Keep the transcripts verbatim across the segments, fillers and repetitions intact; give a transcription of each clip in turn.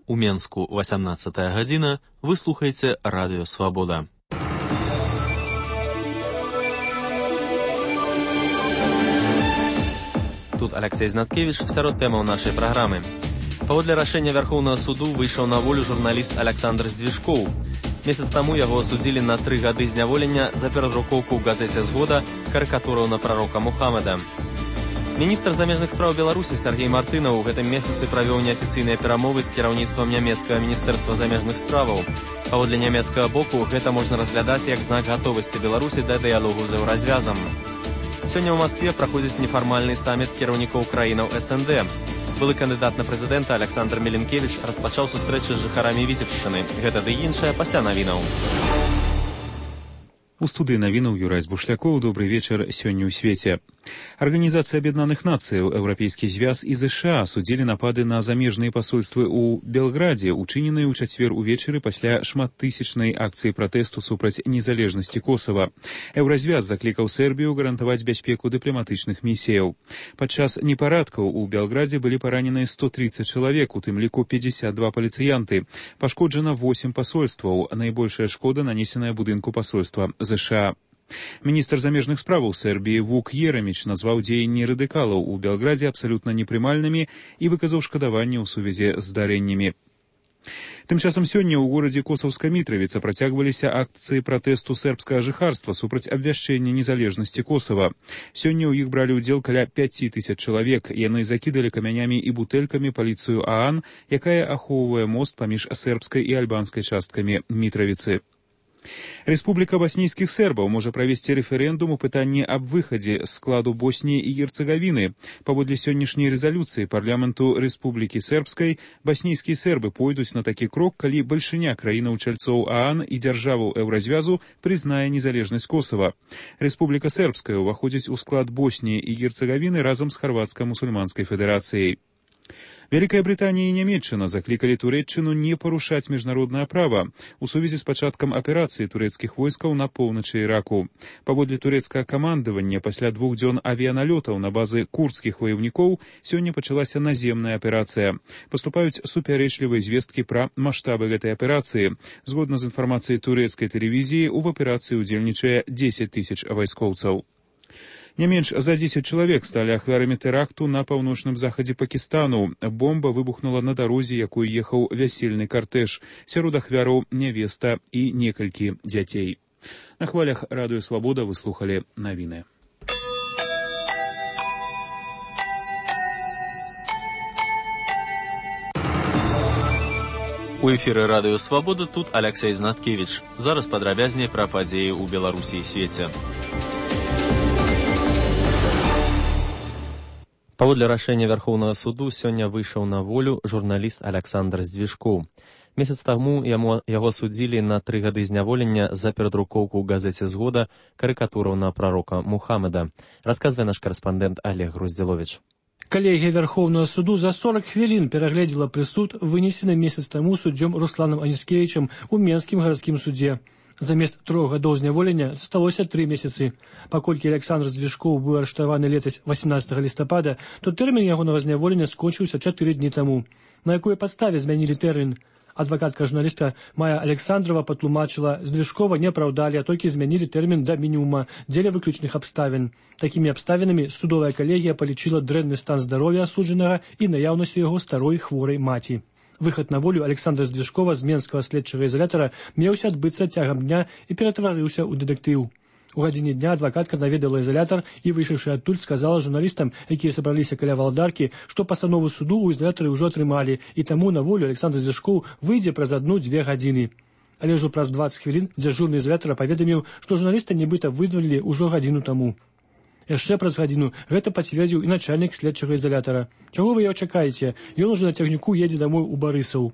У Менску васямнаццатая гадзіна, вы слухаеце Радыё Свабода. Тут Алексей Знаткевич, сярод тэмаў нашай праграмы. Паводле рашэння Вярхоўнага суду выйшаў на волю журналіст Александр Здвижкоў. Месяц таму яго асудзілі на тры гады зняволення за перадрукоўку ў газеце «Згода» карыкатураў на прарока Мухаммеда. Міністр замежных спраў Беларусі Сергей Мартынаў у гэтым месяцы правёў неафіцыйныя перамовы з кіраўніцтвам нямецкага міністэрства замежных справаў. Паводле нямецкага боку гэта можна разглядаць як знак гатовасці Беларусі да дыялогу з еўразвязам. Сёння ў Маскве праходзіць нефармальны саміт кіраўнікоў краінаў эс эн дэ. Былы кандыдат на прэзідэнта Александр Меленкевіч распачаў сустрэчы з жыхарамі Віцебшчыны. Гэта ды іншае пасля навінаў. У студыі навінаў Юрай Бушлякоў. Добры вечар сёння ў свеце. Арганізацыя Аб'яднаных Нацыяў, Еўрапейскі звяз і ЗША судзілі напады на замежныя пасольствы ў Белградзе, учыненыя ў чацвер увечары пасля шматтысячнай акцыі пратэсту супраць незалежнасці Косава. Еўразвяз заклікаў Сербію гарантаваць бяспеку дыпламатычных місіяў. Падчас непарадкаў у Белградзе былі параненыя сто тридцать чалавек, у тым ліку пятьдесят два паліцыянты. Пашкоджана восемь пасольстваў. Найбольшая шкода нанесеная будынку пасольства ЗША. Міністр замежных справаў Сербіі Вук Ераміч назваў дзеянні радыкалаў у Белградзе абсалютна непрымальнымі і выказаў шкадаванне ў сувязі з здарэннямі. Тым часам сёння ў горадзе Косаўская Мітравіца працягваліся акцыі пратэсту сербскага жыхарства супраць абвяшчэння незалежнасці Косава. Сёння ў іх бралі ўдзел каля пяці тысяч чалавек. Яны закідалі камянямі і бутэлькамі паліцыю ААН, якая ахоўвае мост паміж сербскай і альбанскай часткамі Мітравіцы. Рэспубліка баснійскіх сербаў можа правесці рэферэндум у пытанні аб выхадзе з складу Босніі і Герцагавіны. Паводле сённяшняй рэзалюцыі парламенту Рэспублікі Сербскай, баснійскія сербы пойдуць на такі крок, калі бальшыня краінаў-чальцоў ААН і дзяржаваў Еўразвязу прызнае незалежнасць Косава. Рэспубліка Сербская ўваходзіць у склад Босніі і Герцагавіны разам з Харвацка-мусульманскай федэрацыяй. Вялікая Брытанія і Нямецчына заклікалі Турэччыну не парушаць міжнароднае права у сувязі з пачаткам аперацыі турэцкіх войскаў на поўначы Іраку. Паводле турэцкага камандавання, пасля двух дзён авіяналётаў на базы курдскіх ваяўнікоў сёння пачалася наземная аперацыя. Паступаюць супярэчлівыя звесткі пра маштабы гэтай аперацыі. Згодна з інфармацыяй турэцкай тэлевізіі, у аперацыі ўдзельнічае дзесяць тысяч вайскоўцаў. Не менш за дзесяць чалавек сталі ахвярамі тэракту на паўночным захадзе Пакістану. Бомба выбухнула на дарозе, якой ехаў вясельны картэж. Сярод ахвяраў нявеста і некалькі дзяцей. На хвалях Радыё Свабода вы слухалі навіны. У эфіры Радыё Свабода тут Алексей Знаткевич. Зараз падрабязней пра падзеі ў Беларусі і свеце. Паводле рашэння Вярхоўнага суду сёння выйшаў на волю журналіст Александр Здвижкоў. Месяц таму яму яго судзілі на тры гады зняволення за перадрукоўку ў газеце «Згода» карыкатураў на прарока Мухаммеда. Расказвае наш карэспандэнт Олег Груздзіловіч. Калегія Вярхоўнага суду за сорок хвілін перагледзела прысуд, вынесены месяц таму суддзём Русланам Аніскевічам у Менскім гарадскім судзе. Замест трох гадоў зняволення засталося тры месяцы. Паколькі Александр Здвижкоў быў арыштаваны летась восемнадцатага лістапада, то тэрмін ягонага зняволення скончыўся чатыры дні таму. На якой падставе змянілі тэрмін? Адвакатка журналіста Майя Александрова патлумачыла, Здвижкова не апраўдалі, а толькі змянілі тэрмін да мінімума дзеля выключных абставін. Такімі абставінамі судовая калегія палічыла дрэнны стан здароўя асуджанага і наяўнасць у яго старой хворай маці. Выхад на волю Александра Здвижкова з менскага следчага ізалятара меўся адбыцца цягам дня і ператварыўся ў дэтэктыў. У гадзіне дня адвакатка наведала ізалятар і, выйшаўшы адтуль, сказала журналістам, якія сабраліся каля валдаркі, што пастанову суду ў ізалятары ўжо атрымалі, і таму на волю Александр Здвижкоў выйдзе праз адну-дзве гадзіны. Але ўжо праз дваццаць хвілін дзяжурны ізалятара паведаміў, што журналіста нібыта вызвалілі ўжо гадзіну таму. Яшчэ праз гадзіну гэта пацвердзіў і начальнік следчага ізалятара. Чаго вы яго чакаеце? Ён ужо на цягніку едзе дамой у Барысаў.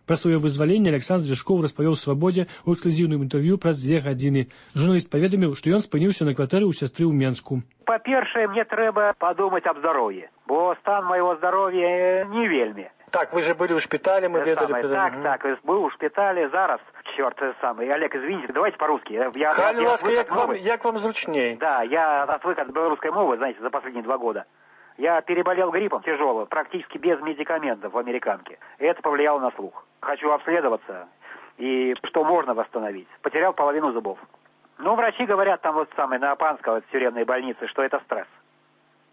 Пра сваё вызваленне Александр Здвижкоў распавёў Свабодзе ў эксклюзіўным інтэрв'ю праз дзве гадзіны. Журналіст паведаміў, што ён спыніўся на кватэры ў сястры ў Менску. Па-першае, мне трэба падумаць аб здароўі, бо стан майго здароўя не вельмі. Так, вы же были в шпитале, мы ведали. Так, так, был в шпитале, зараз, черт самый. Олег, извините, давайте по-русски. Я, Хай, я, ласка, як, вам, як вам зручней? Да, я отвык от белорусской мовы, знаете, за последние два года. Я переболел гриппом тяжелым, практически без медикаментов в американке. И это повлияло на слух. Хочу обследоваться, и что можно восстановить. Потерял половину зубов. Ну, врачи говорят там вот самое на Апанской вот, тюремной больнице, что это стресс.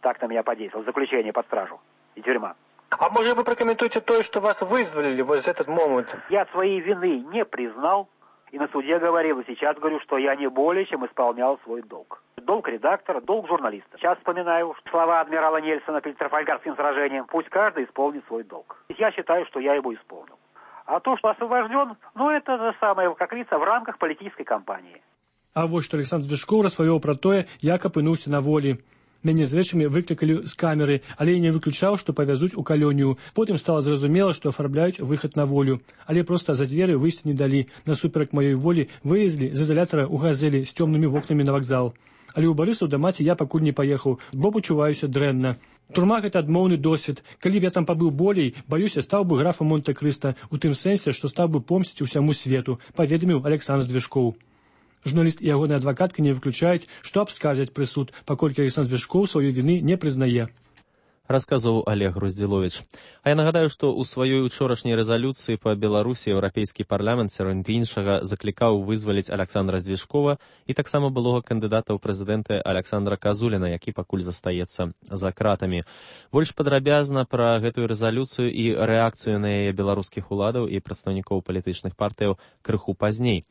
Так на меня подействовал. Заключение под стражу и тюрьма. А может вы прокомментуете то, что вас вызволили в этот момент? Я своей вины не признал. И на суде говорил, и сейчас говорю, что я не более чем исполнял свой долг. Долг редактора, долг журналиста. Сейчас вспоминаю слова адмирала Нельсона перед Трафальгарским сражением. Пусть каждый исполнит свой долг. Я считаю, что я его исполнил. А то, что освобожден, ну это же самое, как говорится, в рамках политической кампании. А вот что Александр Звяшкоў распавёў пра тое, як апынуўся на волі. Мяне з рэчамі выклікалі з камеры, але я не выключаў, што павязуць у калонію. Потым стала зразумела, што афарбляюць выхад на волю. Але проста за дзверы выйсці не далі. Насуперак маёй волі вывезлі з изолятара ў газелі з цёмнымі вокнамі на вакзал. Але ў Барысаў да маці я пакуль не паехаў, бо пачуваюся дрэнна. Турма гэта адмоўны досвед. Калі б я там пабыў болей, баюся, стаў бы графам Монте-Крыста, у тым сэнсе, што стаў бы помсціць усяму свету, паведаміў Александр Звяшкоў. Журналіст і ягоная адвакатка не выключаюць, што абскардзяць прысуд, паколькі Александр Звяшкоў сваёй віны не прызнае. Расказваў Олег Груздзіловіч. А я нагадаю, што ў сваёй учорашняй рэзалюцыі па Беларусі Еўрапейскі парламент сярод іншага заклікаў вызваліць Александра Звяшкова і таксама былога кандыдата ў прэзідэнты Александра Казуліна, які пакуль застаецца за кратамі. Больш падрабязна пра гэтую рэзалюцыю і рэакцыю на яе беларускіх уладаў і прадстаўнікоў палітычных партыяў крыху пазней.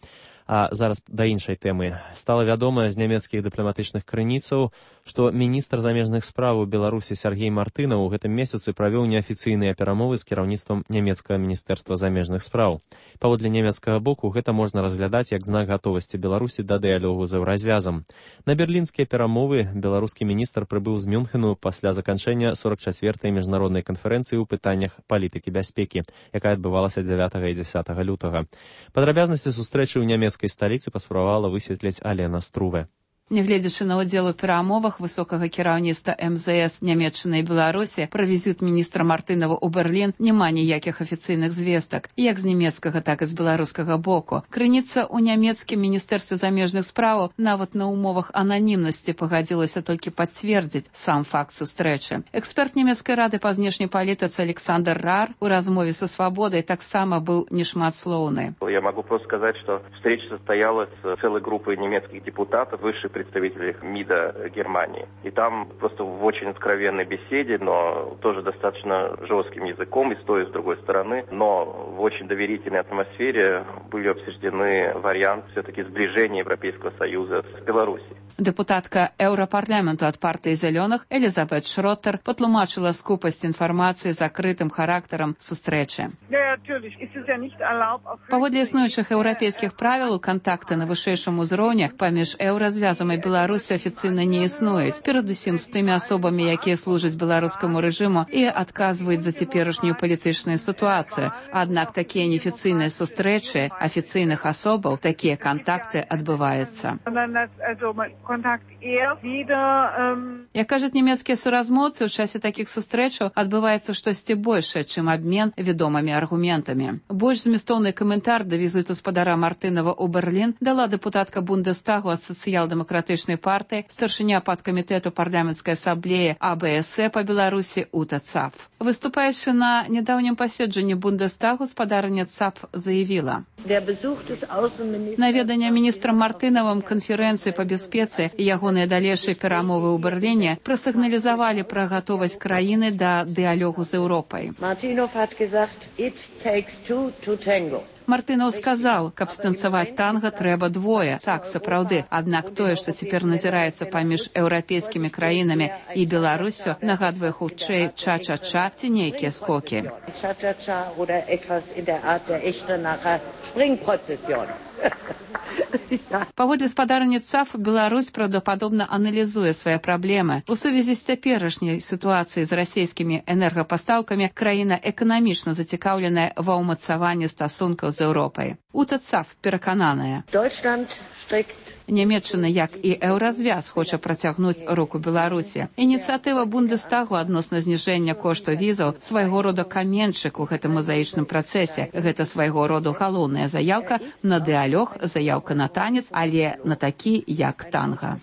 А зараз да іншай тэмы. Стала вядома з нямецкіх дыпламатычных крыніцаў, што міністр замежных спраў у Беларусі Сергей Мартынаў у гэтым месяцы правёў неафіцыйныя перамовы з кіраўніцтвам нямецкага міністэрства замежных спраў. Паводле нямецкага боку гэта можна разглядаць як знак гатовасці Беларусі да дыялогу з еўразвязам. На берлінскія перамовы беларускі міністр прыбыў з Мюнхену пасля заканчэння сорок чацвёртай міжнароднай канферэнцыі ў пытаннях палітыкі бяспекі, якая адбывалася дзявятага і дзясятага лютага. Падрабязнасці сустрэчы ў нямецкай сталіцы паспрабавала высветліць Алена Струве. Нягледзячы на ўдзел у перамовах высокага кіраўніцтва эм зэ эс Нямецчыны і Беларусі, пра візіт міністра Мартынова ў Берлін няма ніякіх афіцыйных звестак, як з нямецкага, так і з беларускага боку. Крыніца ў нямецкім міністэрстве замежных спраў нават на умовах ананімнасці пагадзілася толькі пацвердзіць сам факт сустрэчы. Эксперт нямецкай рады па знешняй палітыцы Александр Рар у размове са «Свободой» таксама быў нешматслоўны. Я могу просто сказать, что встреча состоялась с целой группой немецких депутатов, высших представителей МИДа Германии. И там просто в очень откровенной беседе, но тоже достаточно жестким языком, и с той, и с другой стороны, но в очень доверительной атмосфере были обсуждены варианты все-таки сближения Европейского Союза с Беларусью. Депутатка Еўрапарламенту ад партыі зялёных Элізабет Шроттер патлумачыла скупасць інфармацыі закрытым характарам сустрэчы. Паводле існуючых еўрапейскіх правілаў, кантакты на вышэйшым узроўні паміж еўразвязам і Беларусі афіцыйна не існуюць, перадусім з тымі асобамі, якія служаць беларускаму рэжыму і адказваюць за цяперашнюю палітычную сітуацыю. Аднак такія неафіцыйныя сустрэчы афіцыйных асобаў, такія кантакты адбываюцца. Як кажуць нямецкія суразмоўцы, у часе такіх сустрэчаў адбываецца штосьці большае, чым абмен вядомымі аргументамі. Больш змястоўны каментар да візіту спадара Мартынова ў Берлін дала дэпутатка Бундестагу ад сацыял-дэмакратычнай партыі, старшыня падкамітэту парламенцкай асамблеі а бэ эс э па Беларусі Ута Цапф. Выступаючы на нядаўнім паседжанні Бундестагу, спадарыня Цапф заявіла: наведанне міністра Мартынавым канферэнцыі па бяспецы і ягоныя далейшыя перамовы ў Берліне прасігналізавалі пра гатовасць краіны да дыялогу з Еўропай. Мартынаў сказаў, каб станцаваць танга трэба двое. Так, сапраўды. Аднак тое, што цяпер назіраецца паміж еўрапейскімі краінамі і Беларуссю, нагадвае хутчэй ча-ча-ча ці нейкія скокі. Паводле спадарні Цапф, Беларусь правдападобна аналізуе свае праблемы. У сувязі з цяперашняй сітуацыяй з расійскімі энергапастаўкамі краіна эканамічна зацікаўленая ва ўмацаванні стасункаў з Еўропай. Ута Цапф перакананая: Нямецчына, як і еўразвяз, хоча працягнуць руку Беларусі. Ініцыятыва Бундестагу адносна зніжэння кошту візаў свайго роду каменьчык у гэтым мозаічным працэсе. Гэта свайго роду галоўная заяўка на дыялог, заяўка на танец, але на такі, як танга.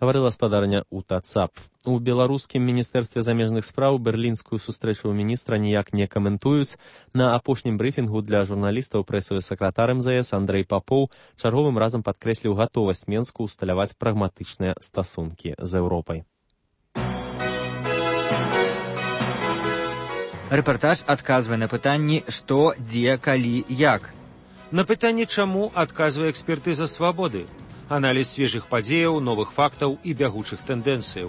гаварыла спадарня Ута Цап. У беларускім міністэрстве замежных спраў берлінскую сустрэчу міністра ніяк не каментуюць. На апошнім брыфінгу для журналістаў прэсавы сакратар эм зэ эс Андрэй Папоў чарговым разам падкрэсліў гатовасць Менску ўсталяваць прагматычныя стасункі з Еўропай. Рэпартаж адказвае на пытанні «Што, дзе, калі, як?». На пытанне «Чаму» адказвае экспертыза «Свабоды». Аналіз свежых падзеяў, новых фактаў і бягучых тэндэнцыяў.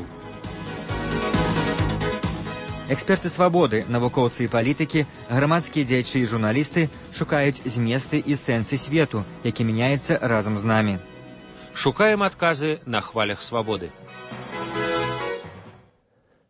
Эксперты «Свабоды», навукоўцы і палітыкі, грамадскія дзеячы і журналісты шукаюць зместы і сэнсы свету, які мяняецца разам з намі. Шукаем адказы на хвалях свабоды.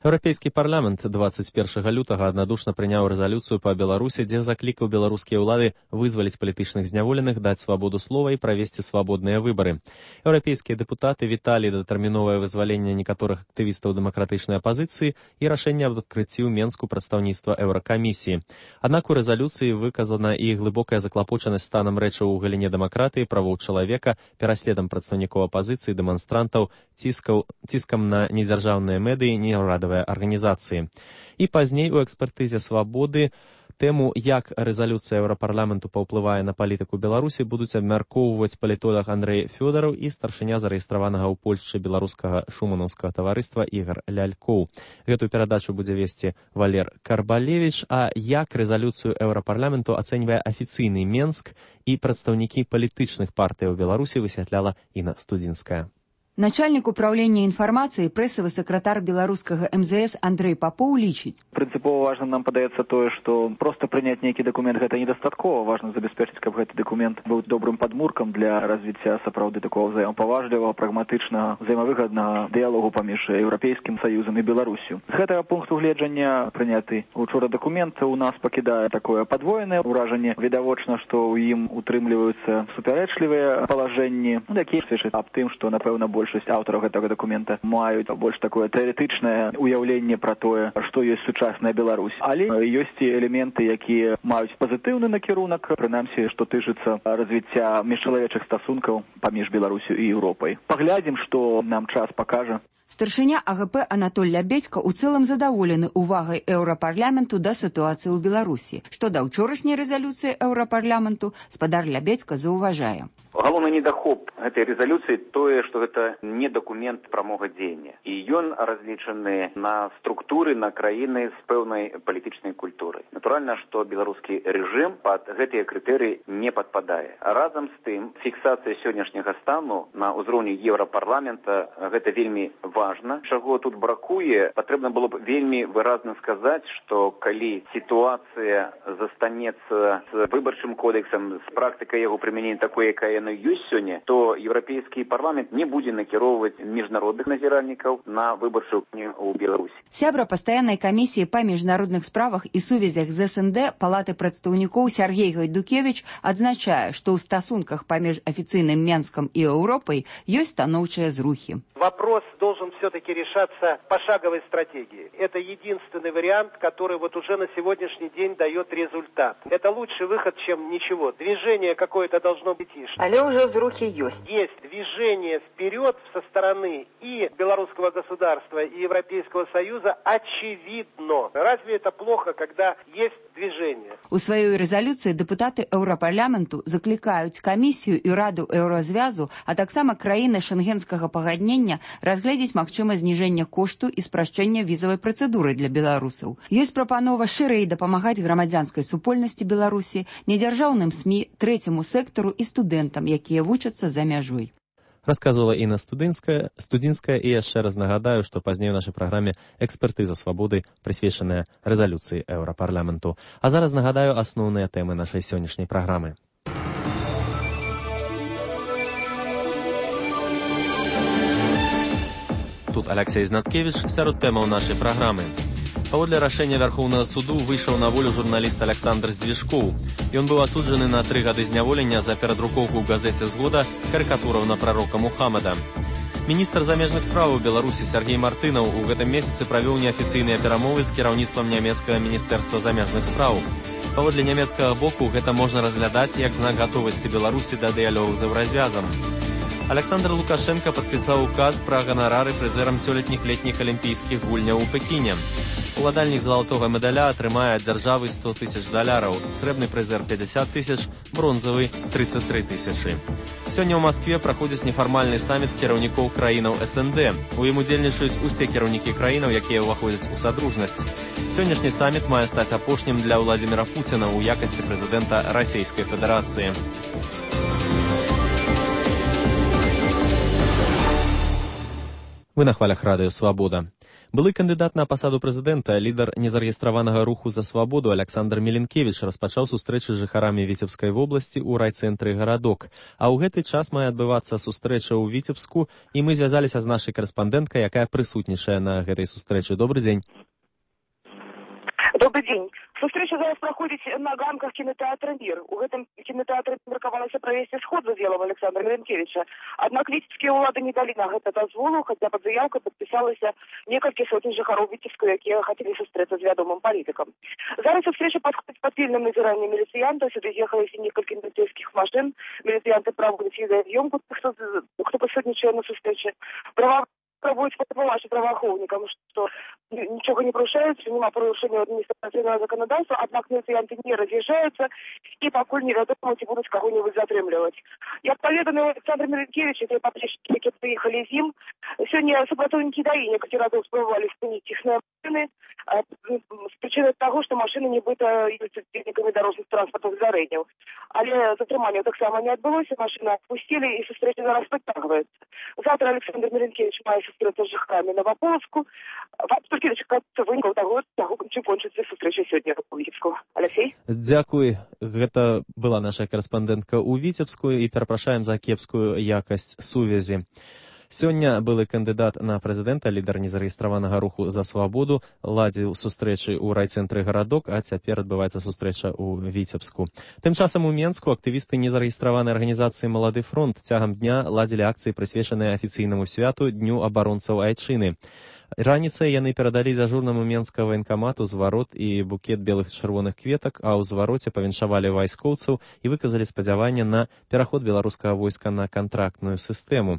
Еўрапейскі парламент дваццаць першага лютага аднадушна прыняў рэзалюцыю па Беларусі, дзе заклікаў беларускія ўлады вызваліць палітычных зняволеных, даць свабоду слова і правесці свабодныя выбары. Еўрапейскія дэпутаты віталі датэрміновае вызваленне некаторых актывістаў дэмакратычнай апазіцыі і рашэнне аб адкрыцці ў Менску прадстаўніцтва Еўракамісіі. Аднак у рэзалюцыі выказана і глыбокая заклапочанасць станам рэчаў у галіне дэмакратыі, правоў чалавека, пераследам прадстаўнікоў апазіцыі, дэманстрантаў, ціскаў, ціскам на недзяржаўныя медыі, неўрадавыя арганізацыі. І пазней у экспертызе «Свабоды» тэму, як рэзалюцыя Еўрапарламенту паўплывае на палітыку Беларусі, будуць абмяркоўваць палітолог Андрэй Фёдараў і старшыня зарэгістраванага ў Польшчы беларускага шуманаўскага таварыства Ігар Лялькоў. Гэтую перадачу будзе весці Валер Карбалевіч, а як рэзалюцыю Еўрапарламенту ацэньвае афіцыйны Менск і прадстаўнікі палітычных партый у Беларусі, высвятляла Інна Студзінская. Начальник управления информацией, прессовый секретарь белорусского эм зэ эс Андрей Попов лічить. Принципово важно нам падаецца тое, что просто принять некий документ гэта недастаткова. Важно забеспечыць, каб гэты документ быў добрым падмуркам для развіцця сапраўды такого взаемопаважлівага, прагматычнага, взаемавыгаднага дыялогу паміж Еўрапейскім Саюзам і Беларусью. З гэтага пункту гледжання прыняты учора документ у нас пакідае такое падвоенае ўражанне. Відавочна, што ў ім утрымліваюцца супярэчлівыя палажэнні, якія сведчаць аб тым, што напэўна больш большасць аўтараў гэтага дакумента маюць больш такое тэарэтычнае уяўленне пра тое, што ёсць сучасная Беларусь. Але ёсць і элементы, якія маюць пазітыўны накірунак, прынамсі, што тычыцца развіцця міжчалавечых стасункаў паміж Беларусю і Еўропай. Паглядзім, што нам час пакажа. Старшыня а гэ пэ Анатоль Лябедзька ў цэлым задаволены увагай Еўрапарламенту да сітуацыі ў Беларусі. Што да ўчорашняй рэзалюцыі Еўрапарламенту, спадар Лябедзька заўважае. Галоўны недахоп гэтай рэзалюцыі тое, што гэта не дакумент прамога дзеяння. І ён разлічаны на структуры, на краіны з пэўнай палітычнай культурай. Натуральна, што беларускі рэжым пад гэтыя крытэрыі не падпадае. Разам з тым, фіксацыя сённяшняга стану на ўзроўні Еўрапарламента гэта вельмі важна. Чаго тут бракуе, патрэбна было б вельмі выразна сказаць, што калі сітуацыя застанецца з выбарчым кодексам, з практыкай яго прымянення такой, якая ёсць сёння, то Еўрапейскі парламент не будзе накіроўваць міжнародных назіральнікаў на выбарчую ў Беларусі. Сябра пастаяннай камісіі па міжнародных справах і сувязях з эс эн дэ Палаты прадстаўнікоў Сяргей Гайдукевіч адзначае, што ў стасунках паміж афіцыйным Менскам і Еўропай ёсць станоўчыя зрухі. Вопрос должен все-таки решаться пошаговой стратегией. Это единственный вариант, который вот уже на сегодняшний день дает результат. Это лучший выход, чем ничего. Движение какое-то должно быть. Але уже зрухи есть. Есть движение вперед со стороны и белорусского государства, и Европейского Союза очевидно. Разве это плохо, когда есть движение? У сваёй рэзалюцыі дэпутаты Еўрапарламенту заклікаюць камісію і раду Еўразвязу, а таксама краіны шэнгенскага пагаднення разгледзець магчымасць зніжэння кошту і спрашчэння візавай працэдуры для беларусаў. Ёсць прапанова шырэй дапамагаць грамадзянскай супольнасці Беларусі, недзяржаўным СМІ, трэцяму сектару і студэнтам, якія вучацца за мяжой. Расказвала Інна Студзінская, Студзінская і яшчэ раз нагадаю, што пазней у нашай праграме экспертыза свабоды, прысвечаная рэзалюцыі Еўрапарламенту. А зараз нагадаю асноўныя тэмы нашай сённяшняй праграмы. Тут Алексей Знаткевич сярод тэмаў нашай праграмы. Паводле рашэння Вярхоўнага суду выйшаў на волю журналіст Александр Здвижкоў. Ён быў асуджаны на тры гады зняволення за перадрукоўку ў газеце «Згода» карыкатураў на прарока Мухаммада. Міністр замежных спраў у Беларусі Сяргей Мартынаў у гэтым месяцы правёў неафіцыйныя перамовы з кіраўніцтвам нямецкага міністэрства замежных спраў. Паводле нямецкага боку гэта можна разглядаць як знак гатовасці Беларусі да дыялогу з Еўразвязам. Александр Лукашенко падпісаў указ пра ганарары прызэрам сёлетніх летніх алімпійскіх гульняў у Пекіне. Уладальнік залатога медаля атрымае ад дзяржавы сто тысяч даляраў, срэбны прызэр пятьдесят тысяч, бронзавы тридцать три тысячы. Сёння ў Маскве праходзіць нефармальны саміт кіраўнікоў краінаў эс эн дэ. У ім удзельнічаюць усе кіраўнікі краінаў, якія ўваходзяць у садружнасць. Сённяшні саміт мае стаць апошнім для Владзіміра Пуціна ў якасці прэзідэнта Расійскай Федэрацыі. Вы на хвалях радыё «Свабода». Былы кандыдат на пасаду прэзідэнта, лідар незарэгістраванага руху за свабоду Александр Меленкевич распачаў сустрэчы з жыхарамі Віцебскай вобласці ў райцэнтры гарадок. А ў гэты час мае адбывацца сустрэча ў Віцебску, і мы звязаліся з нашай карэспандэнткай, якая прысутнічае на гэтай сустрэчы. Добры дзень. Добрый день. Сустрэча зараз праходзіць на ганках кінотэатра «Мір». У гэтым кінотэатры меркавалася правесці сход за дзелам Александра Меленкевича. Аднак віцебскія ўлады не далі на гэта дазволу, хаця пад заяўкай падпісалася некалькі сотень жыхароў Віцебска, якія хацелі сустрэцца з вядомым палітыкам. Зараз сустрэча падходзіць пад пільным назіраннем міліцыянтаў. Сюды з'ехалася некалькі міліцэйскіх машын. Міліцыянты праводзяць відэаз'ёмку, хто, хто прысутнічае на сустрэчы. Права пробуюць патлумачыць праваахоўнікам, што нічога не парушаецца, няма парушэння адміністратыўнага заканадаўства, аднак міліцыянты не раз'язджаюцца і пакуль невядома, ці будуць каго-небудзь затрымліваць. Як паведаміў Александр Меленкевич, і паплечнікі, якія прыехалі з ім, сёння супрацоўнікі даі некалькі разоў спрабавалі спыніць іх на машыны з прычыны таго, што машыны нібыта ёсць удзельнікамі дарожных транспартных здарэнняў. Але затрыманне таксама не адбылося, машыны адпусцілі і сустрэча зараз працягваецца. Завтра Александр Меленкевич мае сустрэцца з жыхарамі Новаполацку. Толькі дачакацца вынікаў таго, таго, чым кончыцца сустрэча сёння ў Віцебску. Алексей? Дзякуй. Гэта была наша карэспандэнтка ў Віцебску і перапрашаем за кепскую якасць сувязі. Сёння былы кандыдат на прэзідэнта, лідар незарэгістраванага руху за свабоду, ладзіў сустрэчы ў райцэнтры гарадок, а цяпер адбываецца сустрэча ў Віцебску. Тым часам у Менску актывісты незарэгістраванай арганізацыі «Малады фронт» цягам дня ладзілі акцыі, прысвечаныя афіцыйнаму святу Дню абаронцаў Айчыны. Раніцай яны перадалі дзяжурнаму менскага ваенкамату зварот і букет белых чырвоных кветак, а ў звароце павіншавалі вайскоўцаў і выказалі спадзяванне на пераход беларускага войска на кантрактную сістэму.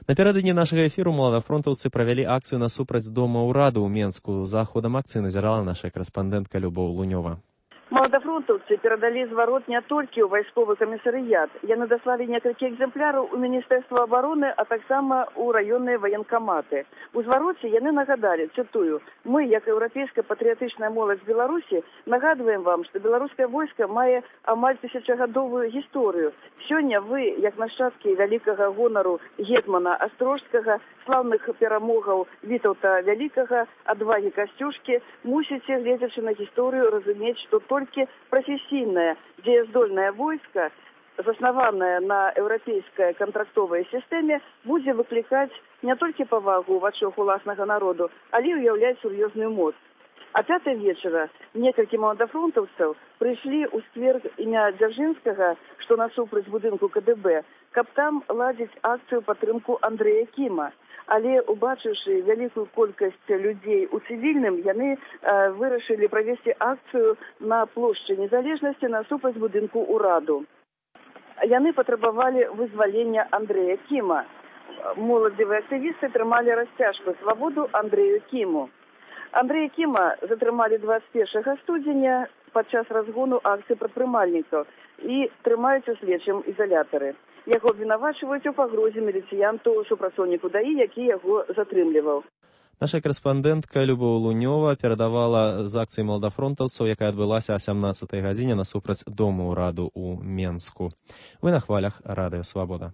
Напярэдадні нашага эфіру маладафронтаўцы правялі акцыю насупраць дома ўраду ў Менску. За ходам акцыі назірала наша карэспандэнтка Любоў Лунёва. Маладафронтаўцы перадалі зварот не толькі ў вайсковы камісарыят. Яны даслалі некалькі экземпляраў у Міністэрства абароны, а таксама ў раённыя ваенкаматы. У звароце яны нагадалі, цытую: «Мы, як еўрапейская патрыятычная моладзь Беларусі, нагадваем вам, што беларускае войска мае амаль тысячагадовую гісторыю. Сёння вы, як нашчадкі вялікага гонару гетмана Астрожскага, слаўных перамогаў Вітаўта Вялікага, адвагі Касцюшкі, мусіце, гледзячы на гісторыю, разумець, што толькі прафесійнае, дзеяздольнае войска, заснаванае на еўрапейскай кантрактовай сістэме, будзе выклікаць не толькі павагу ў вачах уласнага народу, але ўяўляць сур'ёзную моц». А пятай вечара некалькі маладафронтаўцаў прыйшлі ў сквер імя Дзяржынскага, што насупраць будынку ка дэ бэ, каб там ладзіць акцыю падтрымку Андрэя Кіма. Але, убачыўшы вялікую колькасць людзей у цывільным, яны э, вырашылі правесці акцыю на плошчы Незалежнасці насупраць будынку ўраду. Яны патрабавалі вызвалення Андрэя Кіма. Моладзевыя актывісты трымалі расцяжку «Свабоду Андрэю Кіму». Андрэя Кіма затрымалі дваццаць першага студзеня падчас разгону акцыі прадпрымальнікаў і трымаюць у следчым ізалятары. Яго абвінавачваюць у пагрозе міліцыянту супрацоўніку даі, які яго затрымліваў. Наша карэспандэнтка Любоў Лунёва перадавала з акцыі маладафронтаўцаў, якая адбылася о сямнаццатай гадзіне насупраць дома ўраду ў Менску. Вы на хвалях радыё «Свабода».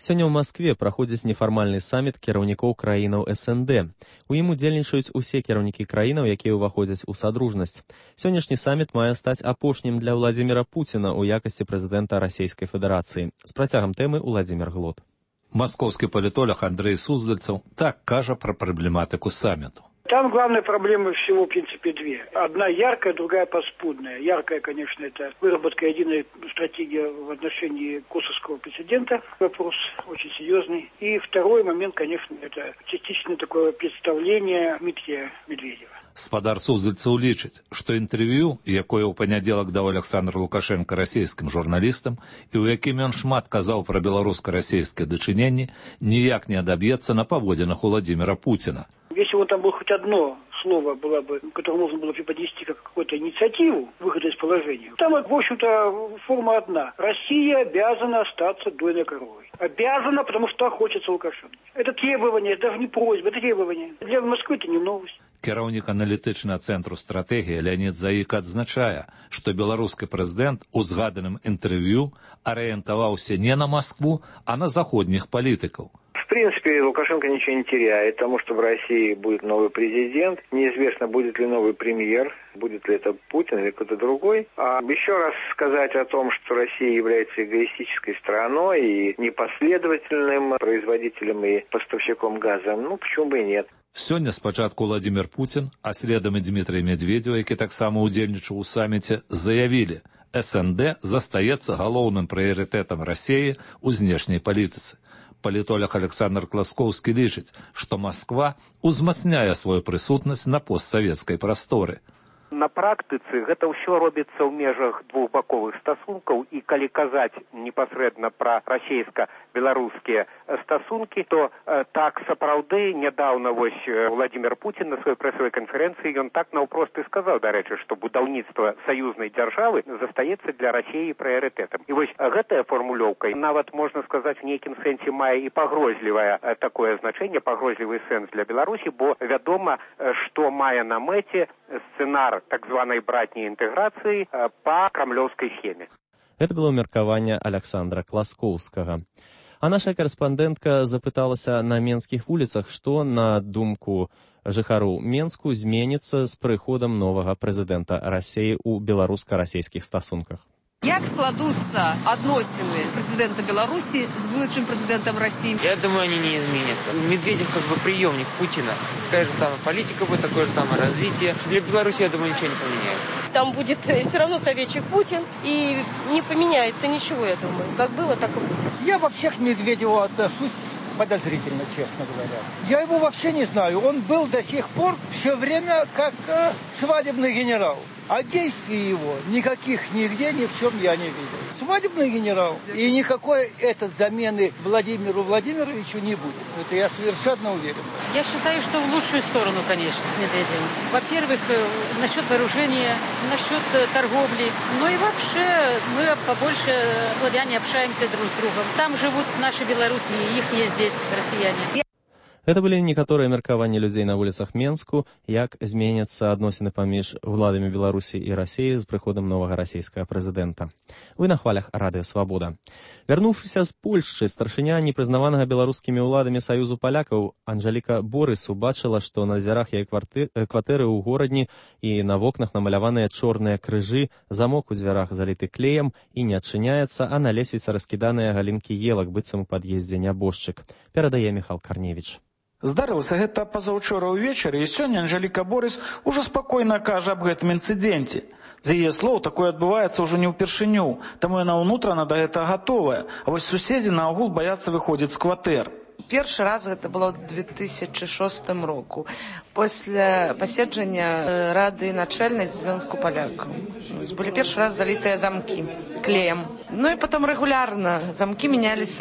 Сёння ў Маскве праходзіць нефармальны саміт кіраўнікоў краінаў эс эн дэ. У ім удзельнічаюць усе кіраўнікі краінаў, якія ўваходзяць у садружнасць. Сённяшні саміт мае стаць апошнім для Владзіміра Пуціна ў якасці прэзідэнта Расійскай Федэрацыі. З працягам тэмы Уладзімір Глот. Маскоўскі палітолог Андрэй Суздальцаў так кажа пра праблематыку саміту. Там главная проблема всего, в принципе, две. Одна яркая, другая паскудная. Яркая, конечно, это выработка единой стратегии в отношении косовского прецедента. Вопрос очень серьезный. И второй момент, конечно, это частично такое представление Дмитрия Медведева. Спадар Суздальцаў лічыць, што інтэрв'ю, якое ў панядзелак даў Александр Лукашенко расійскім журналістам і ў якім ён шмат казаў пра беларуска-расійскае дачыненне, ніяк не адаб'ецца на паводзінах Владимира Путина. Если вот там было хоть одно слово, было бы, которое можно было преподнести как какую-то инициативу выхода из положения, там, в общем-то, форма одна. Россия обязана остаться дойной коровой. Обязана, потому что хочется Лукашенко. Это требование, это даже не просьба, это требование. Для Москвы это не новость. Кіраўнік аналітычнага цэнтру стратэгіі Леонид Заик адзначае, што беларускі прэзідэнт у згаданым інтэрв'ю арыентаваўся не на Москву, а на заходніх палітыкаў. В принципе, Лукашенко ничего не теряет, потому что в России будет новый президент. Неизвестно, будет ли новый премьер, будет ли это Путин или кто-то другой. А еще раз сказать о том, что Россия является эгоистической страной и непоследовательным производителем и поставщиком газа, ну, почему бы и нет. Сёння спачатку Владимир Путин, а следам і Дмітрий Медведеў, які таксама ўдзельнічаў у саміце, заявілі, эс эн дэ застаецца галоўным прыярытэтам Расіі ў знешняй палітыцы. Палітолог Александр Класкоўскі лічыць, што Москва узмацняе сваю прысутнасць на постсавецкай прасторы. На практыцы гэта ўсё робіцца ў межах двухбаковых стасункаў, і калі казаць непасрэдна пра расійска-беларускія стасункі, то э, так сапраўды нядаўна вось Владимир Путин на сваёй прэсавай канферэнцыі ён так наўпрост і сказаў, дарэчы, што будаўніцтва саюзнай дзяржавы застаецца для Расіі прыярытэтам. І вось гэтая фармулёўка нават можна сказаць у нейкім сэнсе мае і пагрозлівае э, такое значэнне, пагрозлівы сэнс для Беларусі, бо вядома, э, што мае на мэце сцэнар так званой братней интеграции по кремлевской схеме. Это было меркаванне Александра Класкоўскага. А наша карэспандэнтка запыталася на менскіх вуліцах, што, на думку жыхароў Менску, зменіцца з прыходам новага прэзідэнта Расіі ў беларуска-расійскіх стасунках. Як складутся относины президента Беларуси с будущим президентом России? Я думаю, они не изменят. Медведев как бы приемник Путина. Такая же самая политика будет, такое же самое развитие. Для Беларуси, я думаю, ничего не поменяется. Там будет все равно советчик Путин, и не поменяется ничего, я думаю. Как было, так и будет. Я вообще к Медведеву отношусь подозрительно, честно говоря. Я его вообще не знаю. Он был до сих пор все время как э, свадебный генерал. А действий его никаких нигде, ни в чем я не видел. Свадебный генерал. И никакой это замены Владимиру Владимировичу не будет. Это я совершенно уверен. Я считаю, что в лучшую сторону, конечно, с Медведевым. Во-первых, насчет вооружения, насчет торговли. Ну и вообще мы побольше славяне общаемся друг с другом. Там живут наши белорусы, их есть здесь, россияне. Гэта былі некаторыя меркаванні людзей на вуліцах Менску, як зменяцца адносіны паміж уладамі Беларусі і Расіі з прыходам новага расійскага прэзідэнта. Вы на хвалях радыё Свабода. Вярнуўшыся з Польшчы, старшыня непрызнаванага беларускімі ўладамі Саюзу палякаў Анжаліка Борыс убачыла, што на дзвярах яе кватэры ў горадні і на вокнах намаляваныя чорныя крыжы, замок у дзвярах заліты клеем і не адчыняецца, а на лесвіцы раскіданыя галінкі елак, быццам у пад'ездзе нябожчык. Перадае Міхал Карневіч. Здарылася гэта пазаўчора ўвечары, і сёння Анжаліка Борыс ужо спакойна кажа аб гэтым інцыдэнце. З яе слоў, такое адбываецца ўжо не ўпершыню, таму яна ўнутрана да гэтага гатовая, а вось суседзі наогул баяцца выходзіць з кватэр. Першы раз гэта было ў две тысячи шостым року, пасля паседжання рады начальнай звёнку палякаў. Былі першы раз залітыя замкі клеем. Ну и потом регулярно замки менялись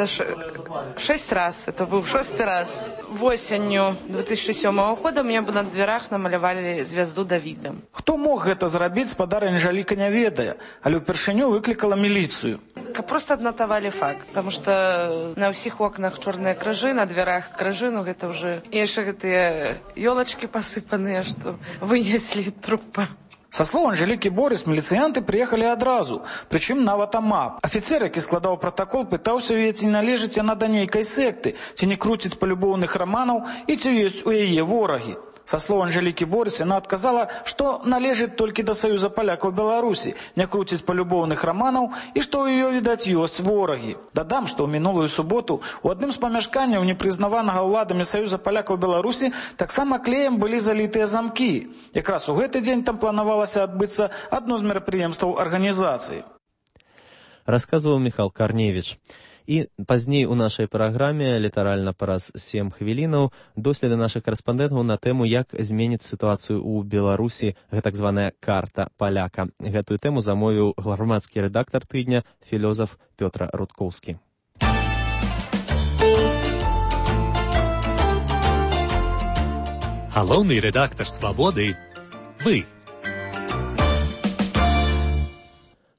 шесть раз. Это был шестой раз. Осенью две тысячи сёмого года мне бы на дверях намалявалі звезду Давіда. Хто мог гэта зрабіць, спадар Анжаліка не ведае, але ўпершыню выклікала міліцыю. Просто аднатавалі факт, потому что на ўсіх окнах чорныя крыжы, на дверях крыжы, ну гэта уже яшчэ гэтыя ёлачкі пасыпаныя, што вынеслі трупа. Са слоў Анжелікі Борыс, міліцыянты прыехалі адразу, прычым нават амап. Афіцэр, які складаў пратакол, пытаўся яе, ці належыць яна да нейкай секты, ці не круціць палюбоўных раманаў і ці ёсць у яе ворагі. Са слоў Анжелікі Борыс, яна адказала, што належыць толькі да Саюза палякаў Беларусі, не круціць палюбоўных раманаў і што ў ёй, відаць, ёсць ворагі. Дадам, што ў мінулую суботу у адным з памяшканняў непрызнаванага ўладамі Саюза палякаў Беларусі таксама клеем былі залітыя замкі. Якраз у гэты дзень там планавалася адбыцца адно з мерапрыемстваў арганізацыі. Расказваў Міхал Карневіч. І пазней у нашай праграме літаральна праз сем хвілінаў доследы нашых карэспандэнтаў на тэму, як зменіць сітуацыю ў Беларусі гэтак званая карта паляка. Гэтую тэму замовіў грамадскі рэдактар тыдня філёзаф Пётр Рудкоўскі. Галоўны рэдактар «Свабоды» – вы.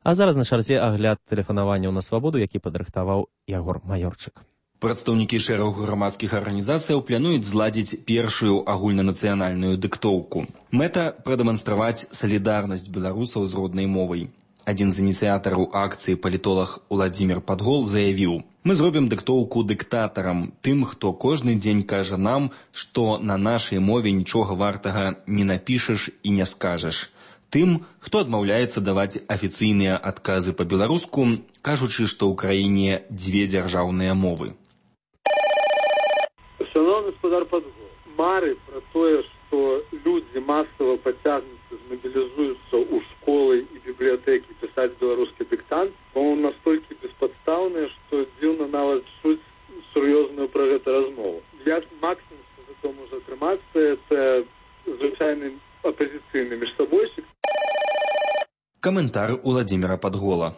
А зараз на чарзе агляд тэлефанаванняў на свабоду, які падрыхтаваў Ягор Маёрчык. Прадстаўнікі шэрагу грамадскіх арганізацыяў плануюць зладзіць першую агульнанацыянальную дыктоўку. Мэта – прадэманстраваць салідарнасць беларусаў з роднай мовай. Адзін з ініцыятараў акцыі палітолог Уладзімір Падгол заявіў: «Мы зробім дыктоўку дыктатарам, тым, хто кожны дзень кажа нам, што на нашай мове нічога вартага не напішаш і не скажаш. Тым, хто адмаўляецца даваць афіцыйныя адказы па-беларуску, кажучы, што ў краіне дзве дзяржаўныя мовы». Шановны гаспадар Падгол, мары пра тое, што людзі масава пацягнуцца, змабілізуюцца ў школы і бібліятэкі пісаць беларускі дыктант, по-моему, настолькі беспадстаўныя, што дзіўна нават чуць сур'ёзную пра гэта размову. Як максімум, што за то можа атрымацца, это звычайны апозіцыйны міжсабойчык. Каментар Уладзіміра Падгола.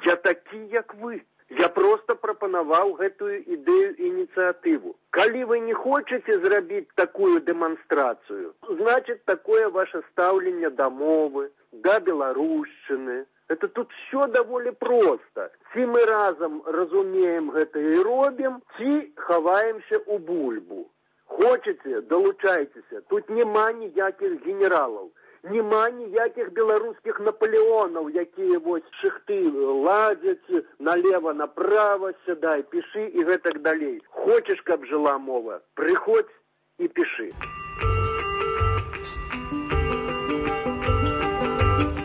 Я такі, як вы. Я просто прапанаваў гэтую ідэю ініцыятыву. Калі вы не хочаце зрабіць такую дэманстрацыю, значит, такое ваше стаўленне да мовы, да беларушчыны. Это тут все даволі проста. Ці мы разам разумеем гэта і робім, ці хаваемся ў бульбу. Хочаце, далучайцеся. Тут няма ніякіх генералаў. Нема ніякіх беларускіх Наполеонаў, якія вось шыхты ладзяць налево, направо, сядай, пішы і гэтак далей. Хочаш, каб жыла мова, прыходзь і пішы.